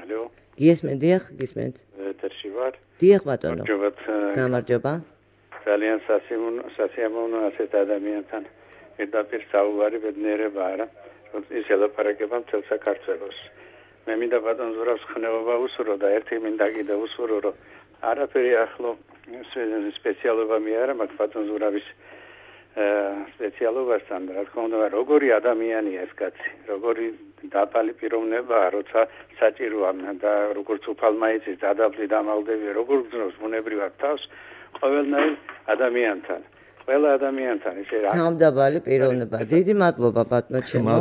ალო გისმენთ დიახ გისმენთ ვარ. დიახ ბატონო. გამარჯობა. ძალიან სასიამოვნო ასეთ ადამიანთან პირდაპირ საუბარი ბედნიერება არა, რომ ის ელაპარაკება მთელ საქართველოს. მე მინდა ბატონ ზურაბს ხნეობა უსურო და ერთი მინდა კიდე უსურო, რომ არაფერი ახლო სპეციალობა მე არა მაქვს ბატონ ზურაბის სპეციალობასთან, რა თქმა უნდა, როგორი ადამიანია ეს კაცი, როგორი დაბალი პიროვნებაა, როცა საჭიროა და როგორც უფალმა იცის დადაბლი დამალდები, როგორ გძნობს ბუნებრივად თავს ყოველნაირ ადამიანთან. ყველა ადამიანთან ისე რა. თავდაბალი პიროვნება. დიდი მადლობა ბატონო ჩემო.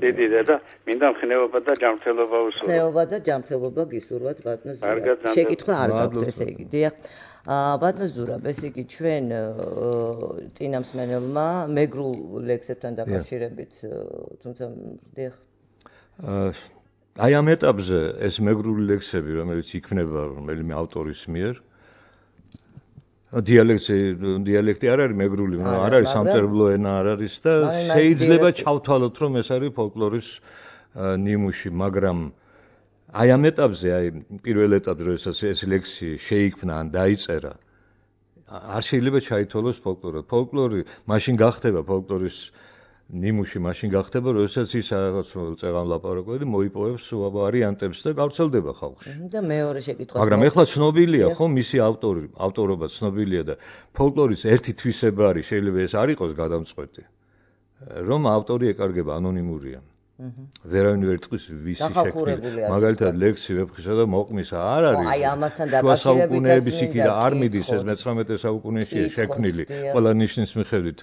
დიდი და მინდა ხნეობა და ჯანმრთელობა უსურვო. ხნეობა და ჯანმრთელობა გისურვოთ ბატონო ზურაბ. შეკითხვა არ გაქვთ ესე იგი. დიახ. ბატონო ზურაბ, ესე იგი ჩვენ წინამსმენელმა მეგრულ ლექსებთან დაკავშირებით, თუმცა დიახ. აი ამ ეტაპზე ეს მეგრული ლექსები, რომელიც იქნება რომელიმე ავტორის მიერ დიალექტი დიალექტი არ არის მეგრული, არ არის სამწერლო ენა არ არის და შეიძლება ჩავთვალოთ რომ ეს არის ფოლკლორის ნიმუში, მაგრამ აი ამ ეტაპზე, აი პირველ ეტაპზე, როდესაც ეს ლექსი შეიქმნა ან დაიწერა, არ შეიძლება ჩაითვალოს ფოლკლორი. ფოლკლორი მაშინ გახდება ფოლკლორის ნიმუში, მაშინ გახდება, როდესაც ის რაღაც წეღან ლაპარაკობდი, მოიპოვებს ვარიანტებს და გავრცელდება ხალხში. და მეორე შეკითხვა. მაგრამ ეხლა ცნობილია, ხო, მისი ავტორი, ავტორობა ცნობილია და ფოლკლორის ერთი თვისება არის, შეიძლება ეს არ იყოს გადამწყვეტი, რომ ავტორი ეკარგება ანონიმურია. ვერავინ ვერ ტყვის ვისი შექმნილი. მაგალითად ლექსი ვეფხისა და მოყმისა არ არის. აი ამასთან შუა საუკუნეების იქ და არ მიდის ეს მეცხრამეტე საუკუნეშია შექმნილი. ყველა ნიშნის მიხედვით.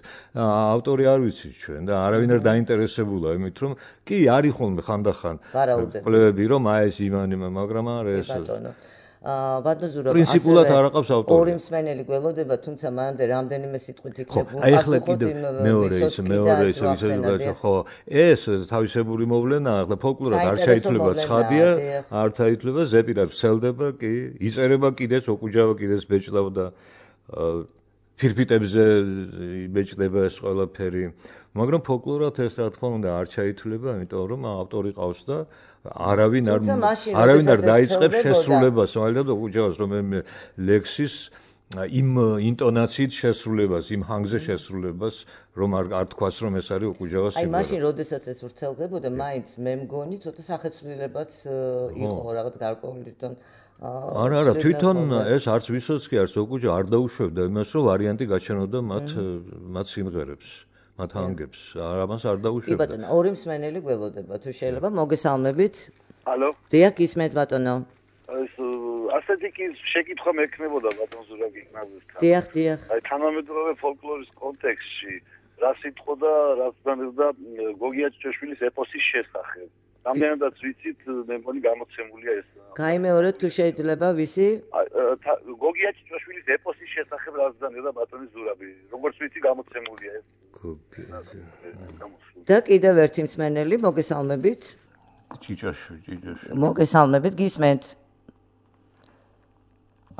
ავტორი არ ვიცით ჩვენ და არავინ არ დაინტერესებულა იმით რომ კი არის ხოლმე ხანდახან კვლევები რომ აი ეს იმანი, მაგრამ არა ეს ბატონო ზურაბ პრინციპულად არ აყავს ავტორი. ორი მსმენელი გველოდება, თუმცა მანამდე რამდენიმე სიტყვით იქნებოდა. აი ახლა კიდე მეორე ის მეორე ის ვისებია ხო ეს თავისებური მოვლენაა, ახლა ფოლკლორად არ შეიცვლება ცხადია, არ თაითვლება ზეპირად ვრცელდება კი, იწერება კიდეც ოკუჯავა კიდეც ბეჭდავ და ფირფიტებზე იბეჭდება ეს ყველაფერი. მაგრამ ფოლკლორად ეს რა თქმა უნდა არ ჩაითვლება, იმიტომ რომ ავტორი ყავს და არავინ არ არავინ არ დაიწყებს შესრულებას, მაგალითად ოკუჯავას რომელიმე ლექსის იმ ინტონაციით შესრულებას, იმ ჰანგზე შესრულებას, რომ არ არ თქვას რომ ეს არის ოკუჯავას სიმღერა. აი მაშინ როდესაც ეს ვრცელდებოდა, მაინც მე მგონი ცოტა სახეცვლილებაც იყო რაღაც გარკვეული თვითონ არა არა თვითონ ეს არც ვისოც კი არც ოკუჯა არ დაუშვებდა იმას რომ ვარიანტი გაჩენოდა მათ მათ სიმღერებს. მათ ანგებს ამას არ დაუშვებდა. კი ბატონო, ორი მსმენელი გველოდება, თუ შეიძლება მოგესალმებით. ალო. დიახ, ისმენთ ბატონო. ეს ასეთი კი შეკითხვა მექნებოდა ბატონ ზურაბ გიგნაძესთან. დიახ, დიახ. აი თანამედროვე ფოლკლორის კონტექსტში რა სიტყვა და რა ცნობდა გოგია ჭეშვილის ეპოსის შესახებ. რამდენადაც ვიცით, მე მგონი გამოცემულია ეს. გაიმეორეთ თუ შეიძლება ვისი? გოგია ჭეშვილის ეპოსის შესახებ რა ცნობდა ბატონი ზურაბი. როგორც ვიცი, გამოცემულია ეს. და კიდევ ერთი მსმენელი, მოგესალმებით. ჭიჭაშვილი, ჭიჭაშვილი. მოგესალმებით, გისმენთ.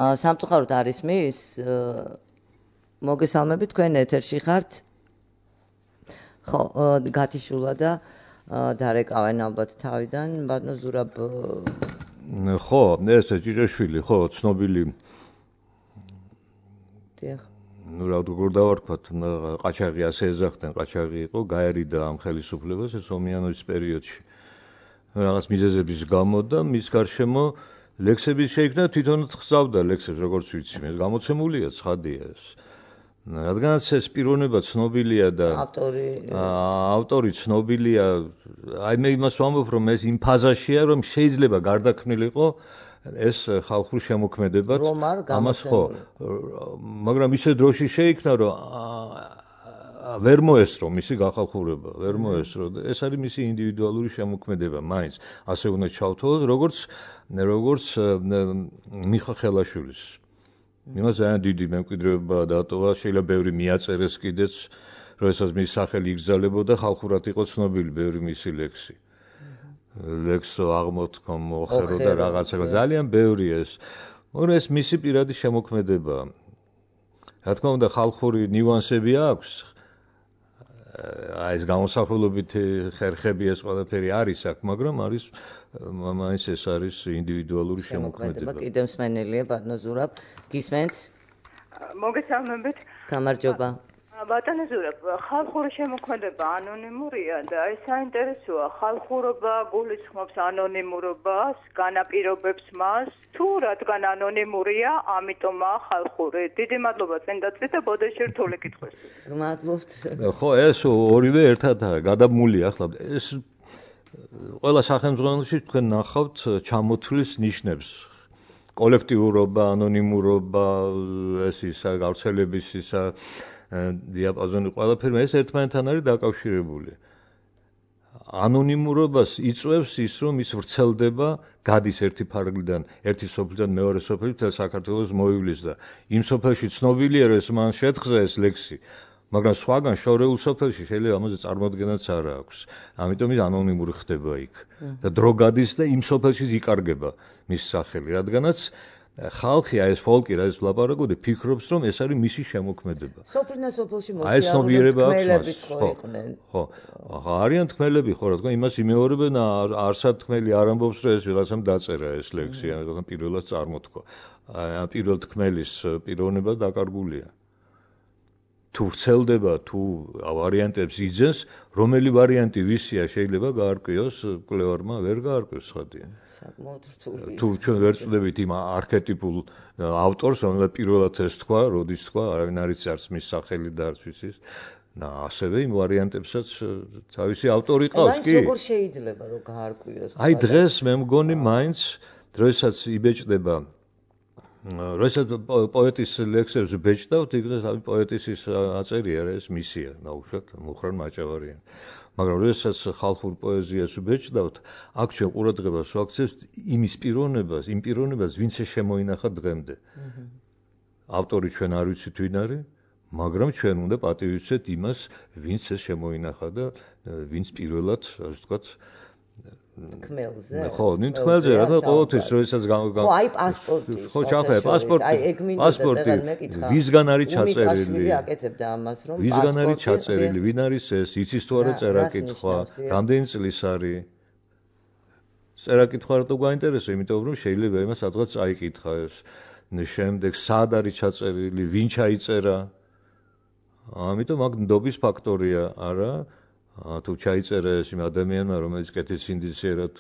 აა სამწუხაროდ არის მის მოგესალმებით, თქვენ ეთერში ხართ. ხო, გათიშულა და დარეკავენ ალბათ თავიდან, ბატონო ზურაბ. ხო, ეს ჭიჭაშვილი, ხო, ცნობილი. დიახ. ну რა როგორ დავარქვათ, ყაჩაღი ასე ეძახდნენ, ყაჩაღი იყო, გაერიდა ამ ხელისუფლებას ეს ომიანობის პერიოდში. რაღაც მიზეზების გამო და მის გარშემო ლექსების შეიქმნა თვითონაც ხსავდა ლექსებს, როგორც ვიცი, ეს გამოცემულია, ცხადია ეს. რადგანაც ეს პიროვნება ცნობილია და ავტორი ავტორი ცნობილია, აი მე იმას ვამბობ, რომ ეს იმ ფაზაშია, რომ შეიძლება გარდაქმნილიყო ეს ხალხურ შემოქმედებად ამას ხო მაგრამ ისე დროში შეიქმნა რომ ვერ მოესწრო მისი გახალხურება ვერ მოესწრო ეს არის მისი ინდივიდუალური შემოქმედება მაინც ასე უნდა ჩავთვალოთ როგორც როგორც მიხა ხელაშვილის იმას ძალიან დიდი მემკვიდრეობა დატოვა შეიძლება ბევრი მიაწერეს კიდეც როდესაც მის სახელი იგზალებოდა ხალხურად იყო ცნობილი ბევრი მისი ლექსი ლექსო აღმოთქო მოხერო და რაღაცა ძალიან ბევრი ეს მაგრამ ეს მისი პირადი შემოქმედება რა თქმა უნდა ხალხური ნიუანსები აქვს აი ეს გამოსახულობითი ხერხები ეს ყველაფერი არის აქ, მაგრამ არის მაინც ეს არის ინდივიდუალური შემოქმედება. კიდევ მსმენელია ბატონო ზურაბ, გისმენთ? მოგესალმებით. გამარჯობა. ბატონო ზურაბ, ხალხური შემოქმედება ანონიმურია და ეს საინტერესოა. ხალხურობა გულისხმობს ანონიმურობას, განაპირობებს მას, თუ რადგან ანონიმურია, ამიტომაა ხალხური. დიდი მადლობა წინდაწვით და ბოდეში რთული კითხვის. გმადლობთ. ხო, ეს ორივე ერთადაა, გადამული ახლა ეს ყველა სახელმწიფოში თქვენ ნახავთ ჩამოთვლის ნიშნებს. კოლექტიურობა, ანონიმურობა, ეს ისა გავრცელების ისა დიაპაზონი ყველაფერი ეს ერთმანეთთან არის დაკავშირებული. ანონიმურობას იწვევს ის, რომ ის ვრცელდება, გადის ერთი ფარგლიდან, ერთი სოფლიდან მეორე სოფელი თელ საქართველოს მოივლის და იმ სოფელში ცნობილია, რომ ეს მან შეთხზა ეს ლექსი, მაგრამ სხვაგან შორეულ სოფელში შეიძლება ამაზე წარმოადგენაც არ აქვს. ამიტომ ის ანონიმური ხდება იქ. და დრო გადის და იმ სოფელში იკარგება მის სახელი, რადგანაც ხალხი აი ეს ფოლკი რა ის ვლაპარაკობდი ფიქრობს რომ ეს არის მისი შემოქმედება. სოფლიდან სოფელში აი ეს ცნობიერება აქვს მას. ხო, ხო. არიან თქმელები ხო რა თქმა იმას იმეორებენ არსად თქმელი არ ამბობს რომ ეს ვიღაცამ დაწერა ეს ლექსი, ან პირველად წარმოთქვა. აი პირველ თქმელის პიროვნება დაკარგულია. თუ ვრცელდება, თუ ვარიანტებს იძენს, რომელი ვარიანტი ვისია შეიძლება გაარკვიოს კვლევარმა, ვერ გაარკვევს ხადია. თუ ჩვენ ვერ წვდებით იმ არქეტიპულ ავტორს, რომელსაც პირველად ეს თქვა, როდის თქვა, არავინ არ იცის არც მის სახელი და არც ვიცის. და ასევე იმ ვარიანტებსაც თავისი ავტორი ყავს, კი? როგორ შეიძლება რომ გაარკვიოს? აი დღეს მე მგონი მაინც დროსაც იბეჭდება როცა პოეტის ლექსებს ბეჭდავთ, იქნებ ამ პოეტის ის აწერია რა ეს მისია, ნაუშვათ მუხრან მაჭავარიან. მაგრამ როდესაც ხალხურ პოეზიას ბეჭდავთ, აქ ჩვენ ყურადღებას ვაქცევთ იმის პიროვნებას, იმ პიროვნებას, ვინც შემოინახა დღემდე. ავტორი ჩვენ არ ვიცით ვინ არის, მაგრამ ჩვენ უნდა პატივისცეთ იმას, ვინც ეს შემოინახა და ვინც პირველად, ასე ვთქვათ, თქმელზე. ხო, ნინ თქმელზე, რა თქმა უნდა, ყოველთვის როდესაც ხო, აი პასპორტი. ხო, ჩახე, პასპორტი. აი ეგ მინდა პასპორტი. ვისგან არის წაწერილი? უმიკაშვილი აკეთებდა ამას, რომ ვისგან არის წაწერილი? ვინ არის ეს? იცის თუ არა წერა-კითხვა? რამდენი წლის არის? წერა-კითხვა რატო გვაინტერესებს? იმიტომ რომ შეიძლება იმას სადღაც წაიკითხა ეს. შემდეგ სად არის ჩაწერილი? ვინ ჩაიწერა? ამიტომ აქ ნდობის ფაქტორია, არა? თუ ჩაიწერა ეს იმ ადამიანმა, რომელიც კეთის ინდიციერად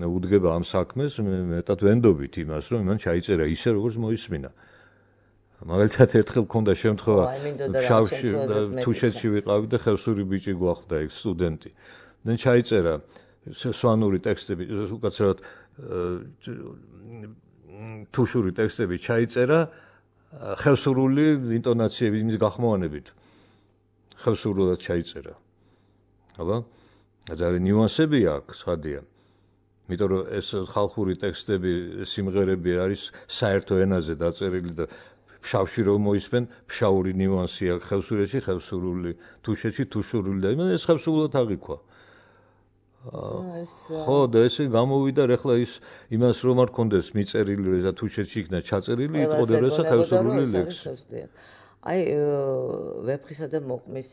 უდგება ამ საქმეს, მეტად ვენდობით იმას, რომ იმან ჩაიწერა ისე, როგორც მოისმინა. მაგალითად, ერთხელ მქონდა შემთხვევა, ფშავში, თუშეთში ვიყავი და ხევსური ბიჭი გვახდა ეგ სტუდენტი. და ჩაიწერა სვანური ტექსტები, უკაცრავად თუშური ტექსტები ჩაიწერა ხევსურული ინტონაციების იმის გახმოვანებით. ხევსურულად ჩაიწერა. აბა, ძალიან ნიუანსები აქვს, ხადია. იმიტომ რომ ეს ხალხური ტექსტები, სიმღერები არის საერთო ენაზე დაწერილი და ფშავში რომ მოისმენ, ფშაური ნიუანსი აქვს ხევსურეთში, ხევსურული, თუშეთში, თუშურული და იმან ეს ხევსურულად აღიქვა. ხო, და ესე გამოვიდა ახლა ის იმას რომ არ კონდეს მიწერილი, რომ ეს თუშეთში იქნა ჩაწერილი, იტყოდა ეს ხევსურული ლექსი. აი ვეფხისა და მოყმის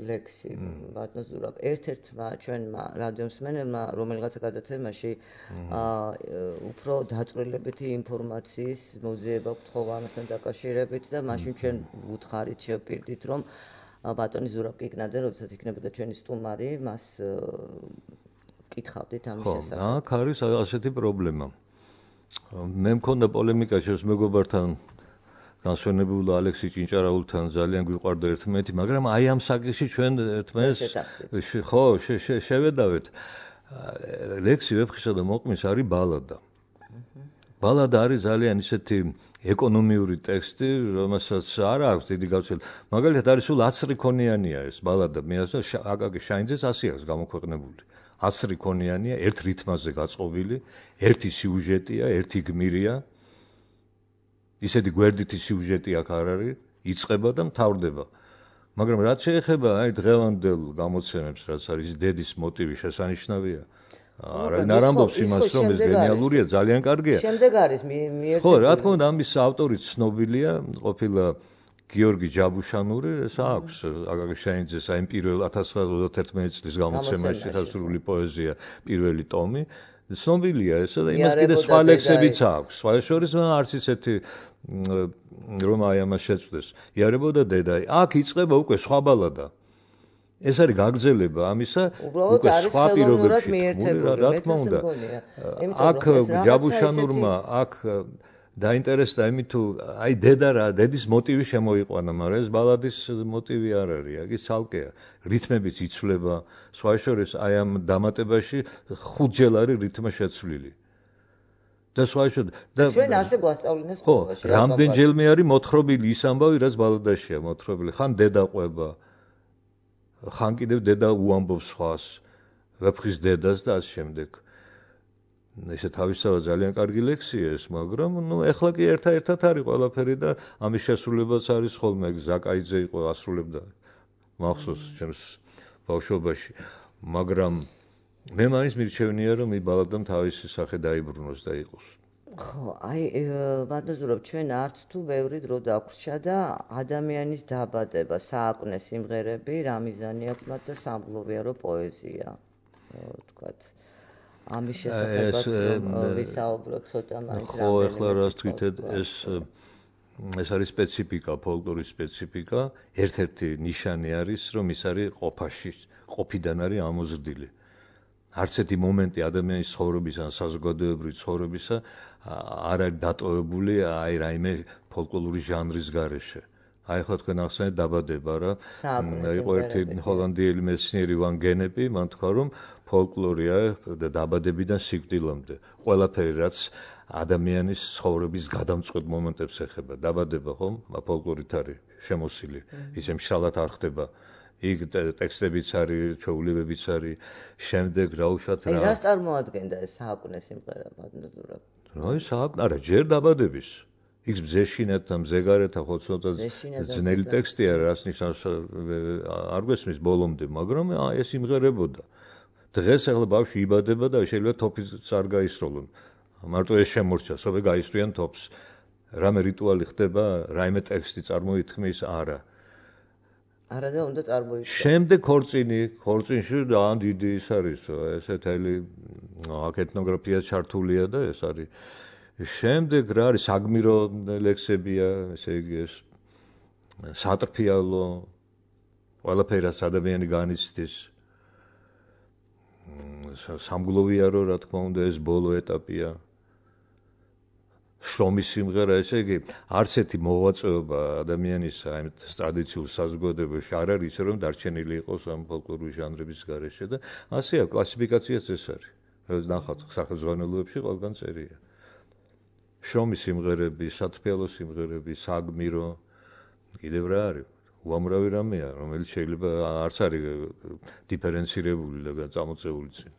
ლექსი ბატონო ზურაბ ერთ-ერთმა ჩვენმა რადიომსმენელმა რომელიღაცა გადაცემაში უფრო დაწვრილებითი ინფორმაციის მოძიება გთხოვა ამასთან დაკავშირებით და მაშინ ჩვენ უთხარით შევპირდით რომ ბატონი ზურაბ კიკნაძე როდესაც იქნებოდა ჩვენი სტუმარი მას კითხავდით ამის შესახებ. ხო, აქ არის ასეთი პრობლემა. მე მქონდა პოლემიკა შევს მეგობართან განსვენებულ ალექსი ჭინჭარაულთან ძალიან გვიყვარდა ერთმანეთი, მაგრამ აი ამ საკითხში ჩვენ ერთმანეთს ხო შევედავეთ. ლექსი ვეფხისა და მოყმის არის ბალადა. ბალადა არის ძალიან ისეთი ეკონომიური ტექსტი, რომელსაც არ აქვს დიდი გავრცელება. მაგალითად არის სულ ათი ქონიანია ეს ბალადა, მე ასე აკაკი შაინძეს ასი აქვს გამოქვეყნებული. ათი ქონიანია, ერთ რითმაზე გაწყობილი, ერთი სიუჟეტია, ერთი გმირია. ისეთი გვერდითი სიუჟეტი აქ არ არის, იწყება და მთავრდება. მაგრამ რაც შეეხება აი დღევანდელ გამოცემებს, რაც არის დედის მოტივი შესანიშნავია. არავინ არ ამბობს იმას, რომ ეს გენიალურია, ძალიან კარგია. შემდეგ არის მიერთებული. ხო, რა თქმა უნდა, ამის ავტორი ცნობილია, ყოფილა გიორგი ჯაბუშანური ეს აქვს აგაგიშაინძეს აი პირველ ათას ცხრაასა ოცდაათერთმეტი წლის გამოცემაში დასრულებული პოეზია პირველი ტომი ცნობილია ესა და იმას კიდე სხვა ლექსებიც აქვს სხვა შორის არც ისეთი რომ აი ამას შეწვდეს იარებოდა დედა აქ იწყება უკვე სხვა ბალადა ეს არის გაგრძელება ამისა უკვე სხვა პირობებში რა თქმა უნდა აქ ჯაბუშანურმა აქ დაინტერესდა იმით თუ აი დედა რა დედის მოტივი შემოიყვანა მაგრამ ეს ბალადის მოტივი არ არის იგი ცალკეა რითმებიც იცვლება სხვა შორის აი ამ დამატებაში ხუთჯერ არის რითმა შეცვლილი და სხვა შორის და ჩვენ ასე გვასწავლინეს სკოლაში ხო რამდენჯერმე არის მოთხრობილი ის ამბავი რაც ბალადაშია მოთხრობილი ხან დედა ყვება ხან კიდევ დედა უამბობს სხვას ვეფხის დედას და ასე შემდეგ ესე თავისთავად ძალიან კარგი ლექსია ეს, მაგრამ ნუ ეხლა კი ერთ-ერთად არის ყველაფერი და ამის შესრულებაც არის ხოლმე ზაკაიძე იყო ასრულებდა მახსოვს ჩემს ბავშვობაში, მაგრამ მე მაინც მირჩევნია რომ ის ბალადამ თავისი სახე დაიბრუნოს და იყოს. ხო, აი ვადაზურებ ჩვენ არც თუ ბევრი დრო დაგვრჩა და ადამიანის დაბადება, სააკვნე სიმღერები, რა მიზანი აქვს მათ და სამგლოვიარო პოეზია, თქვათ. ამის შესახებაც ვისაუბროთ ცოტა მაინც რა. ხო, ახლა რას თვითეთ ეს ეს არის სპეციფიკა, ფოლკლორის სპეციფიკა, ერთ-ერთი ნიშანი არის, რომ ის არის ყოფაში, ყოფიდან არის ამოზრდილი. არც ერთი მომენტი ადამიანის ცხოვრების ან საზოგადოებრივი ცხოვრებისა არ არის დატოვებული აი რაიმე ფოლკლორული ჟანრის გარეშე. აი ახლა თქვენ ახსენეთ დაბადება რა. იყო ერთი ჰოლანდიელი მეცნიერი ვან გენეპი, მან თქვა რომ ფოლკლორია დაბადებიდან სიკვდილამდე. ყველაფერი რაც ადამიანის ცხოვრების გადამწყვეტ მომენტებს ეხება. დაბადება ხომ, ფოლკლორით არის შემოსილი. ისე მშრალად არ ხდება. იქ ტექსტებიც არის, ჩვეულებებიც არის. შემდეგ რა უშათ რა. აი რას წარმოადგენდა ეს სააკვნე სიმღერა მადლობურა? აი სააკვნე, არა, ჯერ დაბადების. იქ ბზეშინეთა, მზეგარეთა ხო ცოტა ძნელი ტექსტია, რას ნიშნავს არ გვესმის ბოლომდე, მაგრამ აი ეს იმღერებოდა. დღეს ახლა ბავშვი იბადება და შეიძლება თოფიც არ გაისროლონ. მარტო ეს შემორჩა, სოფე გაისრიან თოფს. რამე რიტუალი ხდება, რაიმე ტექსტი წარმოითქმის, არა. არა და უნდა წარმოიქმნას. შემდეგ ქორწინი, ქორწინში ძალიან დიდი ის არის, ესეთ ელი აქ ეთნოგრაფია ჩართულია და ეს არის. შემდეგ რა არის საგმირო ლექსებია, ესე იგი ეს სატრფიალო, ყველაფერი რაც ადამიანი განიცდის. სამგლოვიარო, რა თქმა უნდა, ეს ბოლო ეტაპია. შრომის სიმღერა, ესე იგი, არც ერთი მოღვაწეობა ადამიანის აი ტრადიციულ საზოგადოებაში არ არის ისე რომ დარჩენილი იყოს ამ ფოლკლორული ჟანრების გარეშე და ასეა კლასიფიკაციაც ეს არის. ნახავთ სახელმძღვანელოებში ყველგან წერია. შრომის სიმღერები, სატრფიალო სიმღერები, საგმირო, კიდევ რა არის? უამრავი რამეა, რომელიც შეიძლება არც არის დიფერენცირებული და წამოწეული წინ.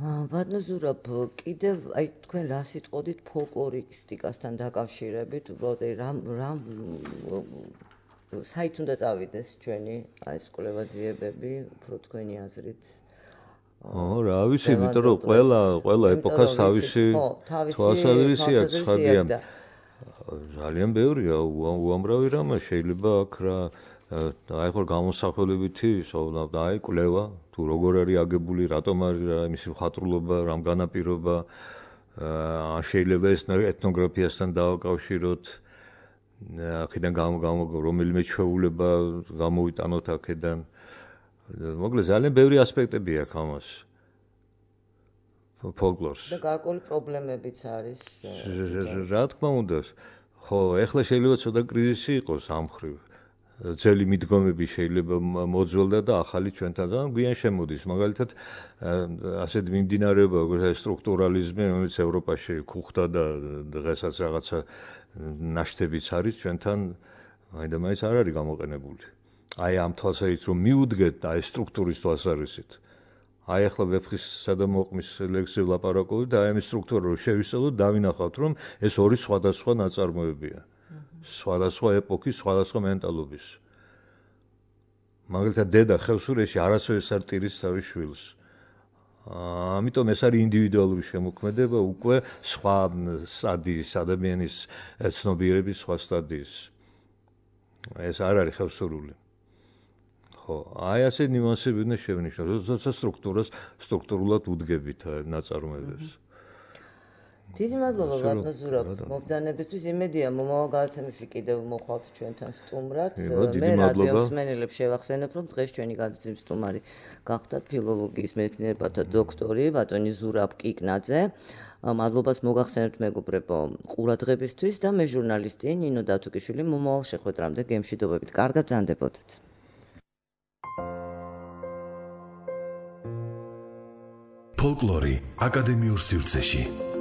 ვადნოზურაბ, კიდევ აი თქვენ რა სიტყოდით ფოლკლორისტიკასთან დაკავშირებით, უბრალოდ აი რამ რამ საით უნდა წავიდეს ჩვენი აი ეს კვლევაძიებები, უფრო თქვენი აზრით? ო, რა ვიცი, იმიტომ რომ ყველა ყველა ეპოქას თავისი თვალსაზრისი აქვს, ხადია. ძალიან ბევრია, უამრავი რამე შეიძლება აქ რა აი ხო გამოსახულებითი ისოვნა აი კვლევა თუ როგორ არის აგებული, რატომ არის რა მისი მხატვრულობა, რამ განაპირობა, აა შეიძლება ეს ეთნოგრაფიასთან დავაკავშიროთ. აქედან გამო გამო რომელიმე ჩვეულება გამოვიტანოთ აქედან. მოკლედ ძალიან ბევრი ასპექტები აქვს ამას. ფოლკლორს. და გარკვეული პრობლემებიც არის. რა თქმა უნდა. ხო, ეხლა შეიძლება ცოტა კრიზისი იყოს ამ ხრივ. ძელი მიდგომები შეიძლება მოძველდა და ახალი ჩვენთან და გვიან შემოდის. მაგალითად, ასეთ მიმდინარეობა როგორც სტრუქტურალიზმი, რომელიც ევროპაში ქუხდა და დღესაც რაღაცა ნაშთებიც არის ჩვენთან, მაინდა მაინც არ არის გამოყენებული. აი ამ თვალსაზრისით რომ მიუდგეთ აი სტრუქტურის თვალსაზრისით. აი ახლა ვეფხისა და მოყმის ლექსზე ვლაპარაკობთ და აი ამ სტრუქტურა რომ შევისწავლოთ, დავინახავთ რომ ეს ორი სხვადასხვა ნაწარმოებია. სხვადასხვა ეპოქის, სხვადასხვა მენტალობის. მაგალითად დედა ხევსურეთში არასოდეს არ ტირის თავის შვილს. ამიტომ ეს არის ინდივიდუალური შემოქმედება, უკვე სხვა სტადიის ადამიანის ცნობიერების სხვა სტადიის. ეს არ არის ხევსურული. ხო, აი ასე ნიუანსები უნდა შევნიშნოთ, როდესაც სტრუქტურას სტრუქტურულად უდგებით ნაწარმოებებს. დიდი მადლობა ბატონო ზურაბ მობრძანებისთვის. იმედია მომავალ გადაცემებში კიდევ მოხვალთ ჩვენთან სტუმრად. მე რადიო მსმენელებს შევახსენებ, რომ დღეს ჩვენი გადაცემის სტუმარი გახდათ ფილოლოგიის მეცნიერებათა დოქტორი ბატონი ზურაბ კიკნაძე. მადლობას მოგახსენებთ მეგობრებო ყურადღებისთვის და მე ჟურნალისტი ნინო დათუკიშვილი მომავალ შეხვედრამდე გემშვიდობებით. კარგად ბრძანდებოდეთ. ფოლკლორი აკადემიურ სივრცეში